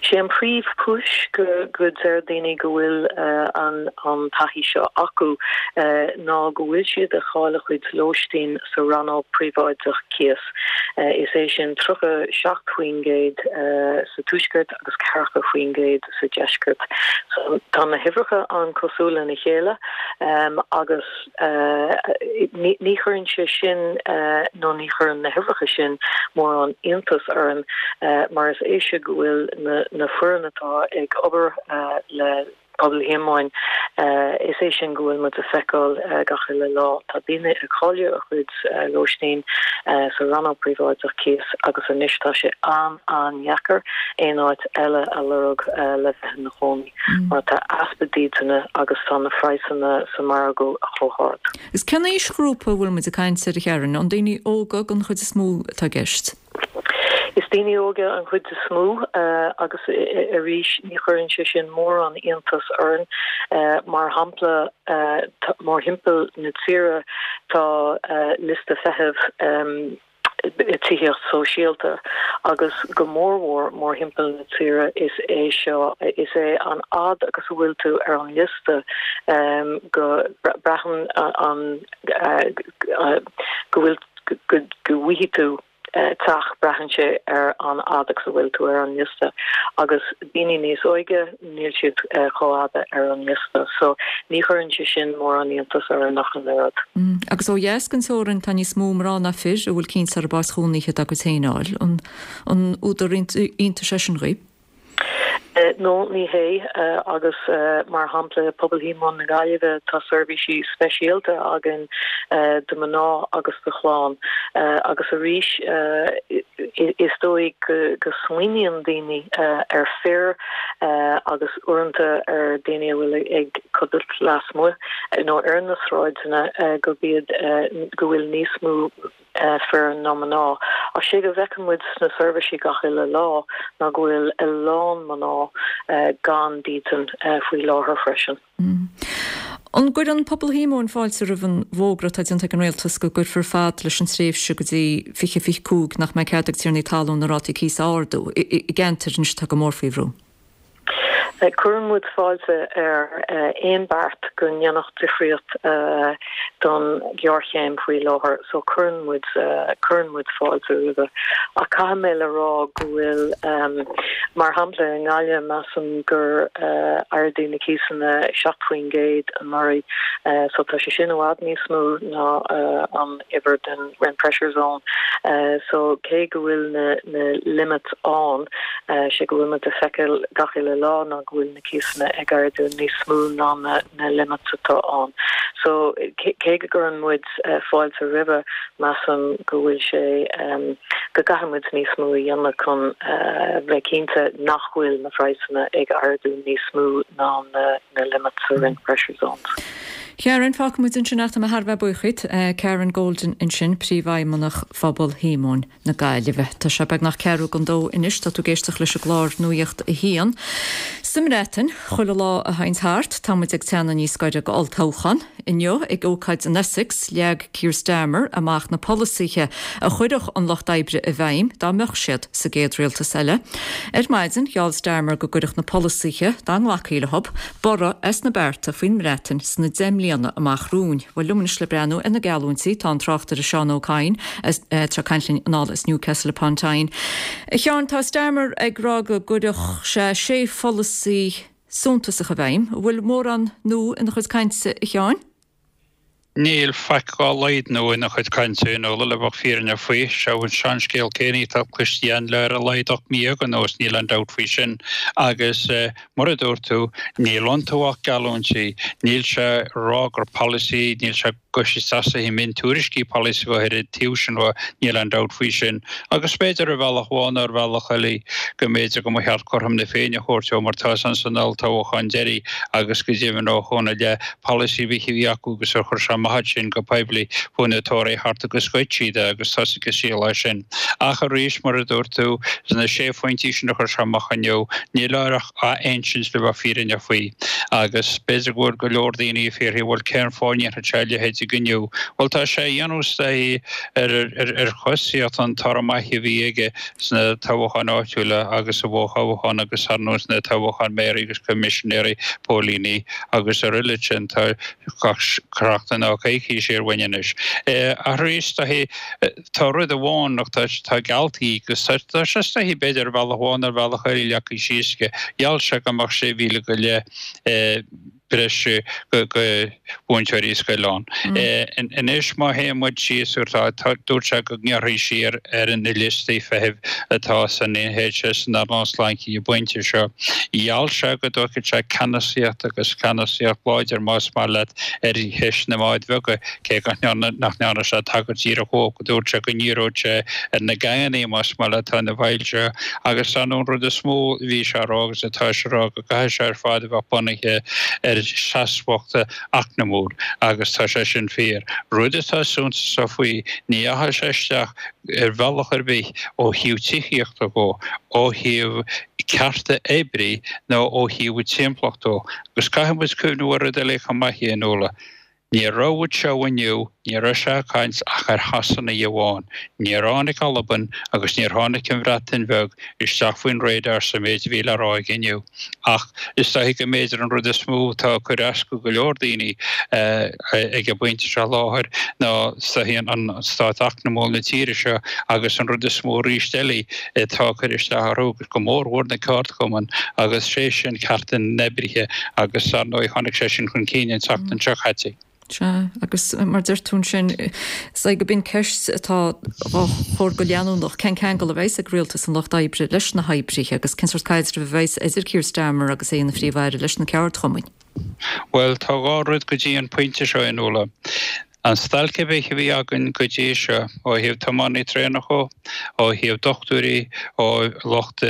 Sé an príomh chúis go go deir daoine go bhfuil an an taithí seo acu ná go bhfuil siad ag cailleadh a chuid lóistín sa rannóg príobháideach cíos. Is é sin 37% sa tuaisceart agus 40% sa deisceart. So tá na huimhreacha an-cosúil lena chéile agus Ní chuireann sé sin nó ní chuireann na huimhreacha sin mórán iontas orainn mar is é seo go bhfuil na foireann atá ag obair le Pobal Shíomóin, is é sin go bhfuil muid ag feiceáil gach uile lá. Tá daoine ag cailleadh a chuid lóistín sa rannóg príobháideach cíos agus anois tá sé an-an-dheacair aon áit eile a lorg le bheith ina chónaí. mar tá easpa dídine agus tá na praghsanna sa margadh chomh hard. Agus cén aoisghrúpa a bhfuil muid ag caint air a Sharon? An daoine óga den chuid is mó atá i gceist? Is daoine óga an chuid is mó agus arís ní chuireann sé sin mórán iontas orainn. Mar shampla mórthimpeall na tíre tá liosta feithimh tithíocht sóisialta agus go mórmhór mórthimpeall na tíre is é seo is é an fhad agus a bhfuil tú ar an liosta go braitheann an go bhfuil go bhfaighidh tú teach braitheann sé ar an fhad agus a bhfuil tú ar an liosta agus daoine níos óige níl siad chomh fhada ar an liosta so ní chuireann sé sin mórán iontas orainn ach an oiread. Agus ó dheas den teorainn tá níos mó mná ná fir a bhfuil cinnte orthu áit chónaithe dá gcuid féin a fháil. An údar iontais é sin dhaoibh? No, ní hé. Agus mar shampla, Pobal Shíomóin na Gaillimhe, tá seirbhísí speisialta againn do mhná agus do chlann. Agus arís, is dóigh go smaoiníonn daoine ar fir agus uaireanta ar daoine a bhfuil ag codlait lasmuigh nó ar na sráideanna gurb iad go bhfuil níos mó fir ná mná. Ach sé go bhfeiceann muid sna seirbhísí gach uile lá ná go bhfuil a lán mná gan dídean faoi láthair freisin. An gcuireann Pobal Shíomóin fáilte roimh an bhfógra atá déanta ag an Rialtas go gcuirfear fad leis an tréimhse go dtí 2025 nach mbeidh cead ag tiarnaí talún na rátaí cíosa a ardú i gceantair anois atá go mór faoi bhrú? Cuireann muid fáilte ar aon beart go ndéanfadh difríocht don ghéarchéim faoi láthair so cuireann muid cuireann muid fáilte roimhe. Ach caithfidh mé le rá go bhfuil mar shampla i nGaillimh measaim gur ardaíodh na cíosanna 7% anuraidh so tá sé sin i bhfad níos mó ná an uimhir den rent pressure zone. So cé go bhfuil na na limits ann, sé go bhfuil muid ag feiceáil gach uile lá ná go bhfuil na cíosanna ag ardú níos mó ná na na limits atá ann. So cé go gcuireann muid fáilte roimhe, measaim go bhfuil sé, go gcaithfidh muid níos mó a dhéanamh chun bheith cinnte nach bhfuil na praghsanna ag ardú níos mó ná na limits sa rent pressure zones. Karen, fágfaidh muid ansin ach tá mé thar a bheith buíoch díot. Karen Golden ansin, Príomhfheidhmeannach Phobal Shíomóin na Gaillimhe. Tá sé beagnach ceathrú don dó anois, tá tú ag éisteacht leis an gclár Nuacht a hAon. Sa mBreatain, chuile lá a théanns thart, tá muid ag teannadh níos gaire go olltoghchán. Inniu, ag ócáid in Essex, leag Keir Starmer amach na polasaithe a chuirfeadh an Lucht Oibre i bhfeidhm dá mbeadh siad sa gcéad rialtas eile. Ar maidin, gheall Starmer go gcuirfeadh na polasaithe, dá nglacfaí leo, borradh as na bearta faoin mBreatain sna 10 mbliana amach romhainn. Bhuel, liom anois le breathnú ar na geallúintí, tá an tráchtaire Seán Ó Cadhain, atá ag caint linn anall as Newcastle upon Tyne. A Sheáin, tá Starmer ag rá go gcuirfeadh sé sé pholasaí suntasach i bhfeidhm. An bhfuil mórán nua ina chuid cainte, a Sheáin? Níl faic dhá laghad nua ina chuid cainte, a Fhionnuala, le bheith fírinneach faoi. Seo an seanscéal céanna atá cloiste againn le ar a laghad 18 mí anuas, níl aon dabht faoi sin. Agus mar a dúirt tú, níl iontu ach geallúintí. Níl sé ag rá gur polasaí, níl sé ag goil isteach sna miontuairiscí polasaí go háirithe taobh sin dhe, níl aon dabht faoi sin. Agus b'fhéidir ar bhealach amháin nó ar bhealach eile go mb'fhéidir go mba cheart cothrom na Féinne a thabhairt dó mar tá sé san olltoghchán deiridh agus go deimhin ó shoin i leith polasaí ar bith a bhí acu agus ar chuir sé amach iad sin go poiblí chuaigh na Tóraithe thart agus ghoid siad é agus thosaigh an scéal as sin. Ach arís, mar a dúirt tú, sna sé phointí sin a chuir sé amach inniu, níl air ach a insint le bheith fírinneach faoi. Agus b'fhéidir go bhfuil go leor daoine ag fiafraí, bhuel cén fáth a ndéanfadh sé a leithéid inniu? Bhuel tá sé a dhéanamh is dóichí ar ar chosaíocht an toradh maith a bhí aige sna toghcháin áitiúla agus sa bhfothoghchán agus ar ndóigh sna toghcháin méaraí agus coimisinéirí póilíní agus araile sin tá gach seachtain nó coicís siar uainn anois. Ach arís tá rud amháin ach tá tá gealltaí agus tá tá sé is dóichí b'fhéidir ar bhealach amháin nó ar bhealach eile leagtha síos aige. Gheall sé go mbeadh 6,000 go leith breise go mhúinteoirí scoile ann. Anois má théann muid síos tá dúirt sé go ngearrfaí siar ar na liostaí feithimh atá san NHS san earnáil sláinte ag an bpointe seo. Gheall sé go dtógfadh sé ceannasaíocht agus ceannasaíocht láidir más maith leat ar cheist na mbád bheaga cé nach ndearna sé tagairt díreach dhó go dúirt sé go ndíreodh sé ar na geaingeanna más maith leat atá ina bhfeighil seo agus ar ndóigh an rud is mó a bhí sé a rá agus atá sé a rá go gcaithfidh sé ar fad a bheith bunaithe ar sheasmhacht eacnamúil agus tá sé sin fíor. Rud atá suntasach faoi, ní dheachaigh sé isteach ar bhealach ar bith ó thaobh tithíochta dhó, ó thaobh cearta oibrí nó ó thaobh timpeallacht dhó. Agus caithfidh muid cuimhniú ar rud eile chomh maith, a Fhionnuala. Ní raibh anseo inniu, ní raibh sé ag caint ach ar Shasanaigh amháin. Níor tháinig Albain agus níor tháinig an Bhreatain Bheag isteach faoin radar sa méid a bhí le rá aige inniu. Ach is dóichí go mb'fhéidir an rud is mó atá ag cur as go go leor daoine ag an bpointe seo láthair ná is dóichí an stát eacnamúil na tíre seo agus an rud is mó arís eile atá ag cur isteach orthu, go mór mhór na ceardchumainn agus sé sin cearta na n-oibrithe agus ar ndóigh tháinig sé sin chun cinn an tseachtain seo caite. Sea, agus mar deir tú ansin, is é go b'in ceist atá á chur go leanúnach, cén ceangal a bheas ag Rialtas an Lucht Oibre leis na hoibrithe agus cén sórt caidrimh a bheas idir Keir Starmer agus é ina Phríomh-Aire leis na ceardchumainn? Bhuel, tá dhá rud go dtí an pointe seo, a Fhionnuala. An stailc ar bith a bhí againn go dtí seo, ó thaobh tiománaí traenach dhó, ó thaobh dochtúirí, ó lucht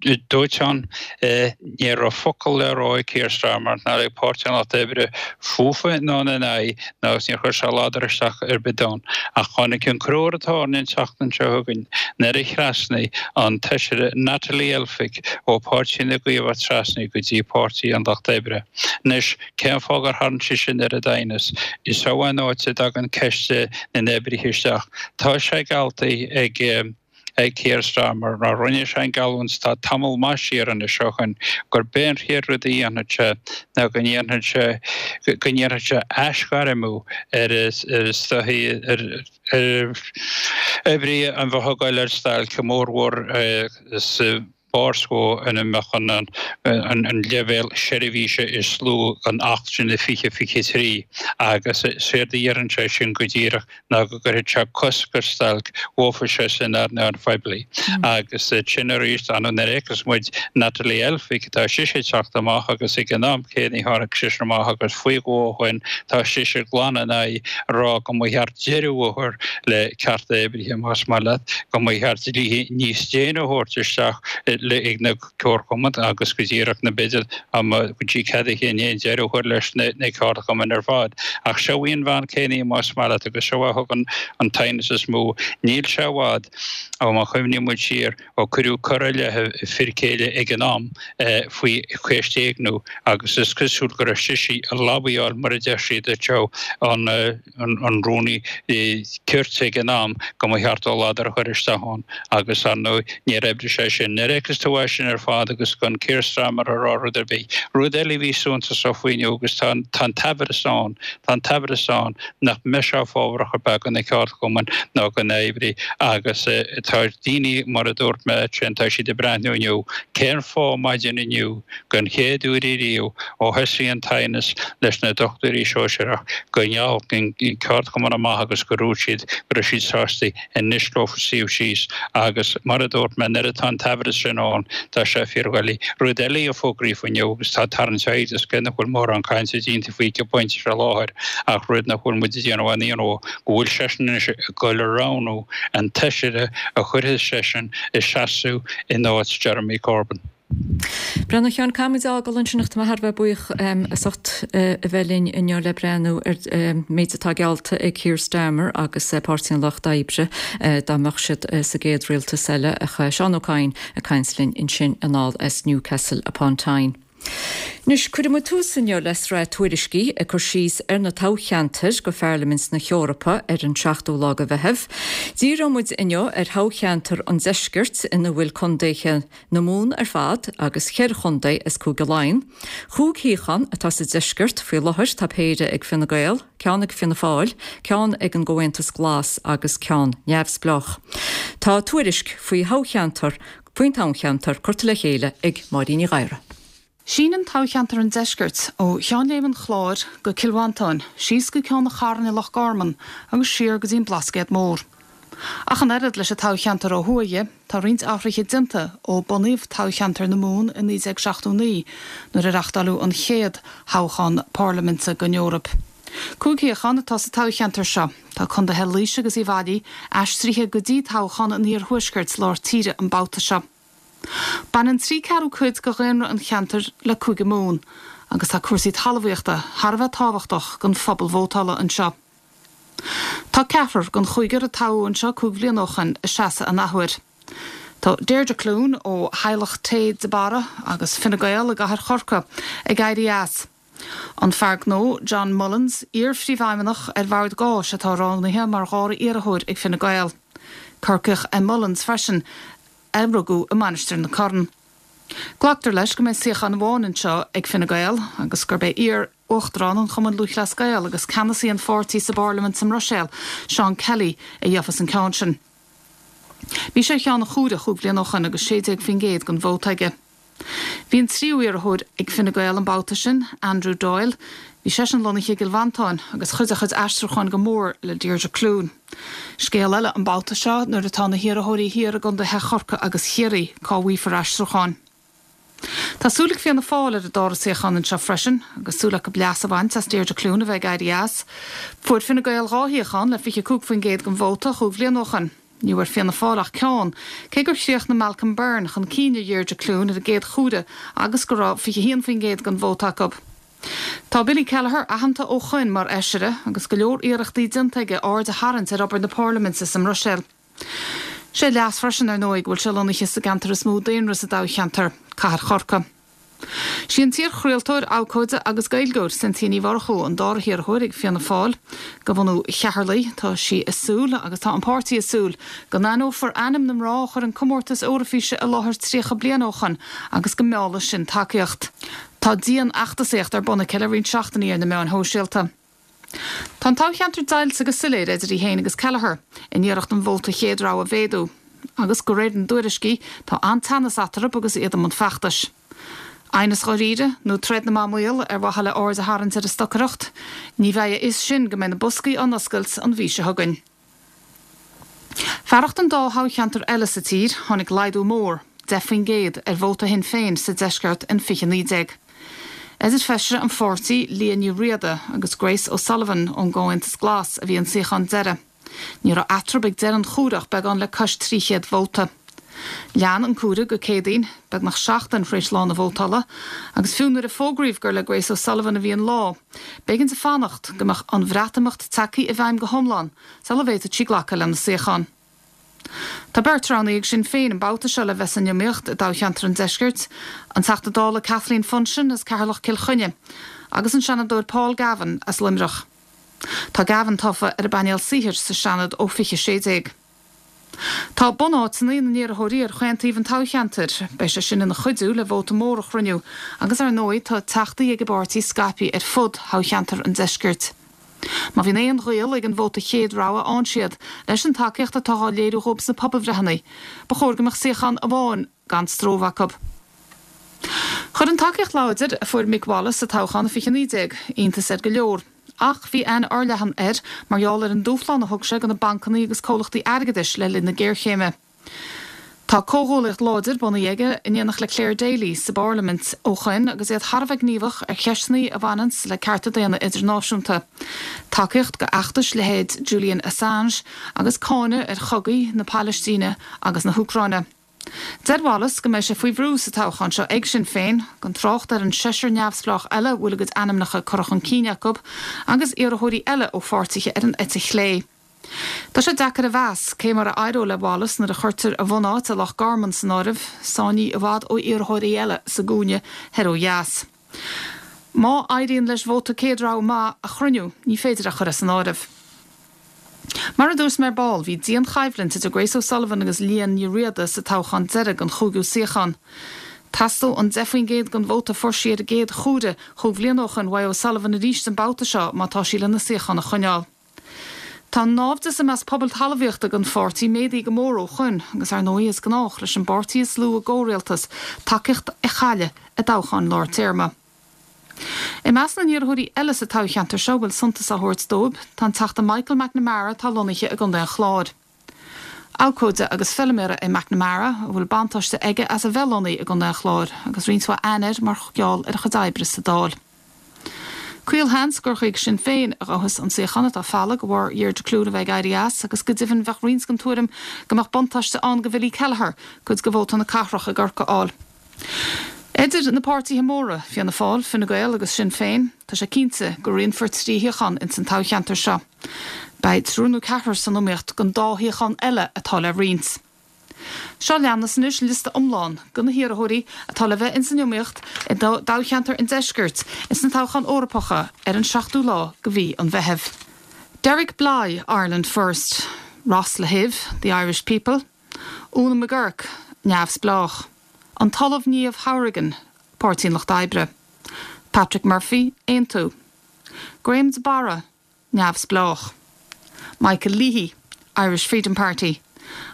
dóiteáin, ní raibh focal le rá ag Keir Starmer ná ag Páirtí an Lucht Oibre fúthu ná ina n-aghaidh ná agus níor chuir sé ladar isteach ar bith ann. Ach tháinig an crú ar an tairne an tseachtain seo chugainn nuair a thrasnaigh an tFeisire Natalie Elphicke ó Pháirtí na gCaomhach trasna go dtí Páirtí an Lucht Oibre. Anois, cén fáth gur tharraing sí sin oiread aighneas? Is seo an áit a dtagann ceist na n-oibrithe isteach. Tá sé geallta ag. ag Keir Starmer, nó rinne sé an geallúint tá tamall maith siar anois ó shoin, gurb é an chéad rud a dhéanfadh sé ná go ndéanfadh sé go ndéanfadh sé aisghairmiú ar is dóichí ar ar oibrithe a bheadh ag goil ar stailc, go mórmhór sa. barr is mó ina mbeadh an leibhéal seirbhíse is lú den Acht sin i 2023 agus séard a dheireann sé sin go díreach ná go gcuirfeadh sé cosc ar stailc dhófa sé san earnáil phoiblí. Agus sin arís, ar ndóigh nuair a fheiceas muid Natalie Elphicke, tá sise ag teacht amach agus ag an am céanna tháinig sise amach agus faoi dhó ó shoin tá sise glan in aghaidh a rá go mba cheart deireadh a chur le cearta oibrithe más maith leat, go mba cheart dlíthe níos déine a thabhairt isteach ag na ceardchumainn agus go díreach na b'fhéidir go dtí cead a chinn féin deireadh a chur leis na ceardchumainn ar fad. Ach seo í an bhean céanna más maith leat agus seo a thugann an t-aighneas is mó. Níl sé i bhfad ó má chuimhníonn muid siar ó cuireadh cor i leith a fir céile ag an am faoi cheist éigniú agus is cosúil go raibh sise ag lobbyáil mar a deir siad anseo an an rúnaí cirt ag an am go mba cheart dó ladar a chur isteach ann agus ar ndóigh níor oibrigh sé sin. Nuair a fheiceas tú é sin ar fad agus gan Keir Starmer a rá rud ar bith. Rud eile a bhí suntasach faoi inniu agus tá an tá an t-amhras ann, tá an t-amhras ann nach mbeidh sé fábharach ar bith do na ceardchumainn ná do na hoibrithe agus tá daoine mar a dúirt mé ansin tá siad ag breathnú inniu cén fáth maidin inniu Den chéad uair ariamh ó thosaigh an t-aighneas leis na dochtúirí sóisearach go ndeachaigh an ceardchumann amach agus go ndúirt siad go raibh siad sásta anois leofa suíomh síos agus mar a dúirt mé nuair atá an t-amhras sin ann tá sé fíordhoiligh. Rud eile a fógraíodh inniu agus tá tarraingt aird as cé nach bhfuil mórán cainte déanta faoi ag an bpointe seo láthair ach rud nach bhfuil muid ag déanamh aon ionadh go bhfuil seisean anois ag dul a roghnú an t-fheisire a chuirfidh seisean ag seasamh in áit Jeremy Corbyn. Breandán a Sheáin, caithfidh muid a fhágáil ansin ach tá mé thar a bheith buíoch as ucht a bheith linn inniu le breathnú ar an méid atá geallta ag Keir Starmer agus Páirtí an Lucht Oibre dá mbeadh siad sa gcéad rialtas eile. Ach Seán Ó Cadhain ag caint linn ansin anall as Newcastle upon Tyne. Anois, cuirfidh muid tús inniu le sraith tuairiscí ag cur síos ar na toghcheantair go Pharlaimint na hEorpa ar an 7ú lá de Mheitheamh. Díreoidh muid inniu ar thoghcheantar an Deiscirt ina bhfuil contaetha na Mumhan ar fad agus cheithre chontae as Cúige Laighean. Chúig shuíochán atá sa Deisceart faoi láthair, tá péire ag Fine Gael, ceann ag Fianna Fáil, ceann ag an gComhaontas Glas agus ceann neamhspleách. Tá tuairisc faoi thoghcheantar faoin toghcheantar curtha le chéile ag Máirín Ní Ghadhra. Síneann toghcheantar an Deiscirt ó Cheann Léim an Chláir go Cill Mhantáin, síos go Ceann an Chairn i Loch Garman agus siar go dtí an Blascaod Mór. Ach an oiread leis an toghcheantar ó thuaidh dhe, tá roinnt athruithe déanta ó bunaíodh toghcheantar na Mumhan i 1979 nuair a reachtáileadh an chéad thoghchán parlaiminte don Eoraip. Cúig shuíochán atá sa toghcheantar seo. Tá condaetha Laoise agus Uíbh Fhailí aistrithe go dtí toghchán an iarthuaiscirt lár tíre an babhta seo. Baineann trí ceathrú cuid de dhaonra an cheantair le Cúige Mumhan agus tá cúrsaí talmhaíochta thar a bheith tábhachtach don phobal vótála anseo. Tá ceathrar den chúigear a toghadh anseo cúig bhliana ó shoin ag seasamh an athuair. Tá Deirdre Clune ó theaghlach tae de Barra agus Fine Gael i gcathair Chorcaí ag éirí as. An fear gnó John Mullins, iar-phríomhfheidhmeannach ar Bhord Gáis atá roghnaithe mar dhara iarrthóir ag Fine Gael. Corcaíoch é Mullins freisin, a rugadh i Mainistir na Corann. Glactar leis go mbeidh suíochán amháin anseo ag Fine Gael agus gurb é iar-uachtarán an Chumainn Lúthchleas Gael agus ceannasaí an pháirtí sa bParlaimint sa mBruiséil, Seán Kelly, a gheofas an ceann sin. Bhí sé ar cheann an chomhairimh chúig bhliana ó shoin agus 16% den vóta aige. Bhí an tríú iarrthóir ag Fine Gael an babhta sin, Andrew Doyle, bhí seisean lonnaithe i gCill Mhantáin agus chuidigh a chuid aistriúcháin go mór le Deirdre Clune. Scéal eile an babhta seo nuair atá na hiarrthóirí thiar i gcontaetha Chorcaí agus Chiarraí, cá bhfaighfear aistriúcháin. Tá súil ag Fianna Fáil ar an dara suíochán anseo freisin agus súil acu leas a bhaint as Deirdre Clune a bheith ag éirí as. Fuair Fine Gael dhá shuíochán le 25% den vóta chúig bhliana ó shoin. Ní bhfuair Fianna Fáil ach ceann, cé gur chríochnaigh Malcolm Byrne chun cinn ar Dheirdre Clune ar an gcéad chomhaireamh agus go raibh 21% den vóta acu. Tá Billy Kelleher aitheanta ó shoin mar fheisire agus go leor iarrachtaí déanta aige aird a tharraingt ar obair na Parlaiminte sa mBruiséil. Sé leas freisin, ar ndóigh, go bhfuil sé lonnaithe sa gceantar is mó daonra sa dtoghcheantar, Cathair Chorcaí. Sí an t-iarchraoltóir, abhcóide agus Gaeilgeoir, Cynthia Ní Mhurchú, an dara hiarrthóir ag Fianna Fáil. De bhunú Cheatharlaigh, tá sí ag súil, agus tá an páirtí ag súil, go n-aithneofar ainm na mná a chuir an comórtas Eoraifíse i láthair 30 bliain ó shoin agus go meallfaidh sin tacaíocht. Tá dian-fheachtasaíocht ar bun aici le roinnt seachtainí ar na meáin shóisialta. Tá an toghcheantar deighilte go soiléir idir í féin agus Kelleher, in iarracht an vóta chéad rogha a mhéadú. Agus de réir na dtuairiscí, tá an-teannas eatarthu agus iad i mbun feachtais. Aighneas dháiríre, nó troid na mba maol ar mhaithe le aird a tharraingt ar an stocaireacht? Ní bheidh a fhios sin go mbeidh na boscaí á n-oscailt an mhí seo chugainn. Fearacht an dá thoghcheantar eile sa tír, tháinig laghdú mór, 10%, ar vóta Shinn Féin sa deisceart in 2019. Idir feisire an pháirtí, Liadh Ní Riada, agus Grace O'Sullivan ón gComhaontas Glas a bhí an suíochán deiridh. Ní raibh eatarthu ag deireadh an chomhairimh ach beagán le cois 300 vóta. Lean an comhaireamh go Céadaoin, beagnach seachtain tar éis lá na vótála, agus fiú nuair a fógraíodh gur le Grace O'Sullivan a bhí an lá, b'éigean di fanacht go mbeadh an Bhreatimeacht tagtha i bhfeidhm go hiomlán sula bhféadfadh sí glacadh lena suíochán. Tá beirt roghnaithe ag Sinn Féin an babhta seo le bheith san iomaíocht i dtoghcheantar an Deiscirt, an Teachta Dála Kathleen Funchion as Ceatharlach-Cill Chainnigh agus an Seanadóir Paul Gavin as Luimneach. Tá Gavin tofa ar an bpainéal saothair sa Seanad ó 2016. Tá bunáiteanna na n-iarrthóirí ar chaon taobh an toghcheantair. Beidh sé sin ina chuidiú le vóta mór a chruinniú agus ar ndóigh tá teachtaí ag an bpáirtí scaipthe ar fud thoghcheantar an Deiscirt. Má bhíonn aon ghaol ag an vóta chéad rogha a fhaigheann siad leis an tacaíocht atá á léiriú dhóibh sna pobalbhreitheanna, ba chóir go mbeadh suíochán amháin gan stró acu. Chuir an tacaíocht láidir a fuair Mick Wallace sa toghchán i 2019 iontas ar go leor. Ach bhí aithne fhorleathan air mar gheall ar an dúshlán a thug sé do na bancanna agus comhlachtaí airgeadais le linn na géarchéime. Tá comhghuaillíocht láidir bunaithe aige in éineacht le Clare Daly sa bParlaimint ó shoin agus iad thar a bheith gníomhach ar cheisteanna a bhaineanns le cearta daonna idirnáisiúnta, tacaíocht do fheachtais leithéid Julian Assange agus cáineadh ar chogaí na Palaistíne agus na hÚcráine. Deir Wallace go mbeidh sé faoi bhrú sa toghchán seo ag Sinn Féin, gan trácht ar an seisear neamhspleách eile a bhfuil a gcuid ainmneacha curtha chun cinn acu, agus iarrthóirí eile ó pháirtithe ar an eite chlé. Tá sé deacair a mheas cé mar a éireoidh le Wallace nuair a chuirtear a bhunáit i Loch Garman san áireamh, sáinnithe i bhfad ó iarrthóirí eile sa gcúinne thoir ó dheas. Má éiríonn leis vóta céad rogha maith a chruinniú, ní féidir é a chur as an áireamh. Mar a dúirt mé ar ball, bhí dian-choimhlint idir Grace O'Sullivan agus Liadh Ní Riada sa toghchán deiridh don chúigiú suíochán. Theastaigh an 10% den vóta a fuair sí ar an gcéad chomhaireamh chúig bhliana ó shoin uaidh O'Sullivan arís an babhta seo má tá sí lena suíochán a choinneáil. Tá an naimhdeas i measc pobal talmhaíochta don pháirtí méadaithe go mór ó shoin agus ar ndóigh is gnách leis an bpáirtí is lú i gcomhrialtas tacaíocht a chailleadh i dtoghcháin lár téarma. I measc na n-iarrthóirí eile sa toghcheantar seo a bhfuil suntas á thabhairt dóibh tá an Teachta Michael McNamara atá lonnaithe i gContae an Chláir. Abhcóide agus feilméara é McNamara a bhfuil buntáiste aige as a bheith lonnaithe i gContae an Chláir agus roinnt mhaith aithne air mar gheall ar a chuid oibre sa Dáil. Caolsheans gur chuig Sinn Féin a ghabhfas an suíochán atá folamh de bharr Dheirdre Clune a bheith ag éirí as agus go deimhin bheadh roinnt den tuairim go mbeadh buntáiste ann do Bhilly Kelleher cuid de vóta na cathrach i gCorcaigh a fháil. Idir na páirtithe móra, Fianna Fáil, Fine Gael agus Sinn Féin, tá sé cinnte go roinnfear 3 shuíochán ins an toghcheantar seo. Beidh triúr nó ceathrar san iomaíocht don dá shuíochán eile atá le roinnt. Seo leanas anois liosta iomlán de na hiarrthóirí atá le bheith ins an iomaíocht i dtoghcheantar an Deiscirt ins na toghcháin Eorpacha ar an 7ú lá de mhí an Mheithimh. Derek Blighe, Ireland First, Ross Lahiff, The Irish People, Úna McGurk, Neamhspleách, An tOllamh Niamh Hourigan, Páirtí an Lucht Oibre, Patrick Murphy, Aontú, Graham de Barra, Neamhspleách. Michael Leahy, Irish Freedom Party,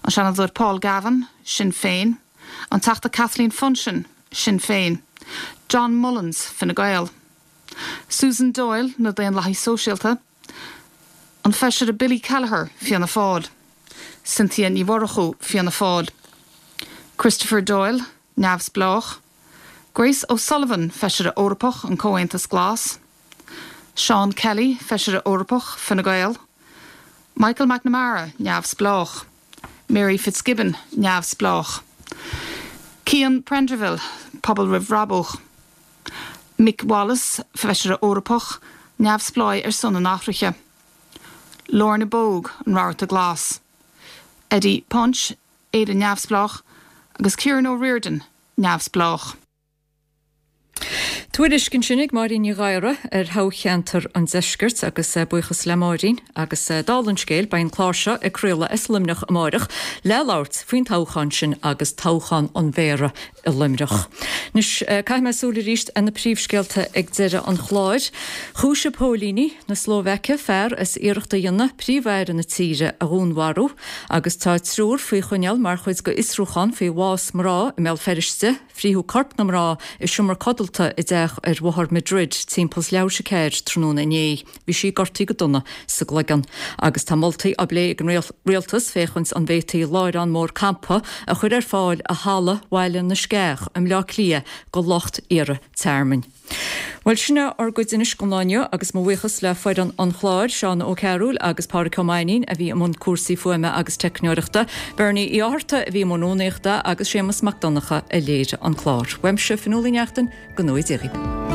An Seanadóir Paul Gavin, Sinn Féin, An Teachta Kathleen Funchion, Sinn Féin, John Mullins, Fine Gael, Susan Doyle, Na Daonlathaigh Sóisialta, An Feisire Billy Kelleher, Fianna Fáil, Cynthia Ní Mhurchú, Fianna Fáil, Christopher Doyle, Neamhspleách, Grace O'Sullivan, Feisire Eorpach, An Comhaontas Glas, Seán Kelly, Feisire Eorpach, Fine Gael, Michael McNamara, Neamhspleách, Mary Fitzgibbon, Neamhspleách, Cian Prendiville, Pobal Roimh Bhrabús, Mick Wallace, Feisire Eorpach, Neamhspleáigh ar son an Athraithe, Lorna Bogue, An Rabharta Glas, Eddie Punch, Éire Neamhspleách, agus Ciarán O'Riordan, Neamhspleách. Tuairisc ansin ag Máirín Ní Ghadhra ar thoghcheantar an Deiscirt agus buíochas le Máirín agus dála an scéil beidh an clár seo ag craoladh as Luimneach amáireach le labhairt faoin toghchán sin agus toghchán an mhéara i Luimneach. Anois caithfidh mé súil arís ar na príomhscéalta ag deireadh an chláir. Chúisigh póilíní na Slóvaice fear as iarracht a dhéanamh príomh-aire na tíre a dhúnmharú agus tá triúr faoi choinneáil mar chuid d'fhiosrúchán faoi bhás mná i mBéal Feirste. Frítheadh corp na mná i seomra codlata i dteach ar Bhóthar Madrid timpeall leathuair tar éis a 4 tráthnóna inné. Bhí sí gortaithe go dona sa gcloigeann. Agus tá moltaí á bplé ag an Rialtas féachaint an bhféadfaí láithreán mór campa a chur ar fáil i Halla Bhaile na Sceach i mBleá Cliath go lucht iarrtha tearmainn. Bhuel, sin é ár gcuid anois don lá inniu agus mo bhuíochas le foireann an chláir, Seán Ó Cearúil agus Pádraic Ó Mainnín a bhí i mbun cúrsaí fuaime agus teicneoireachta, Bernie Uí Fhátharta a bhí i mbun rúnaíochta agus Séamus Mac Donncha a léirigh an clár. Uaimse, Fionnuala Ní Neachtain, go ngnóthaí Dia dhaoibh.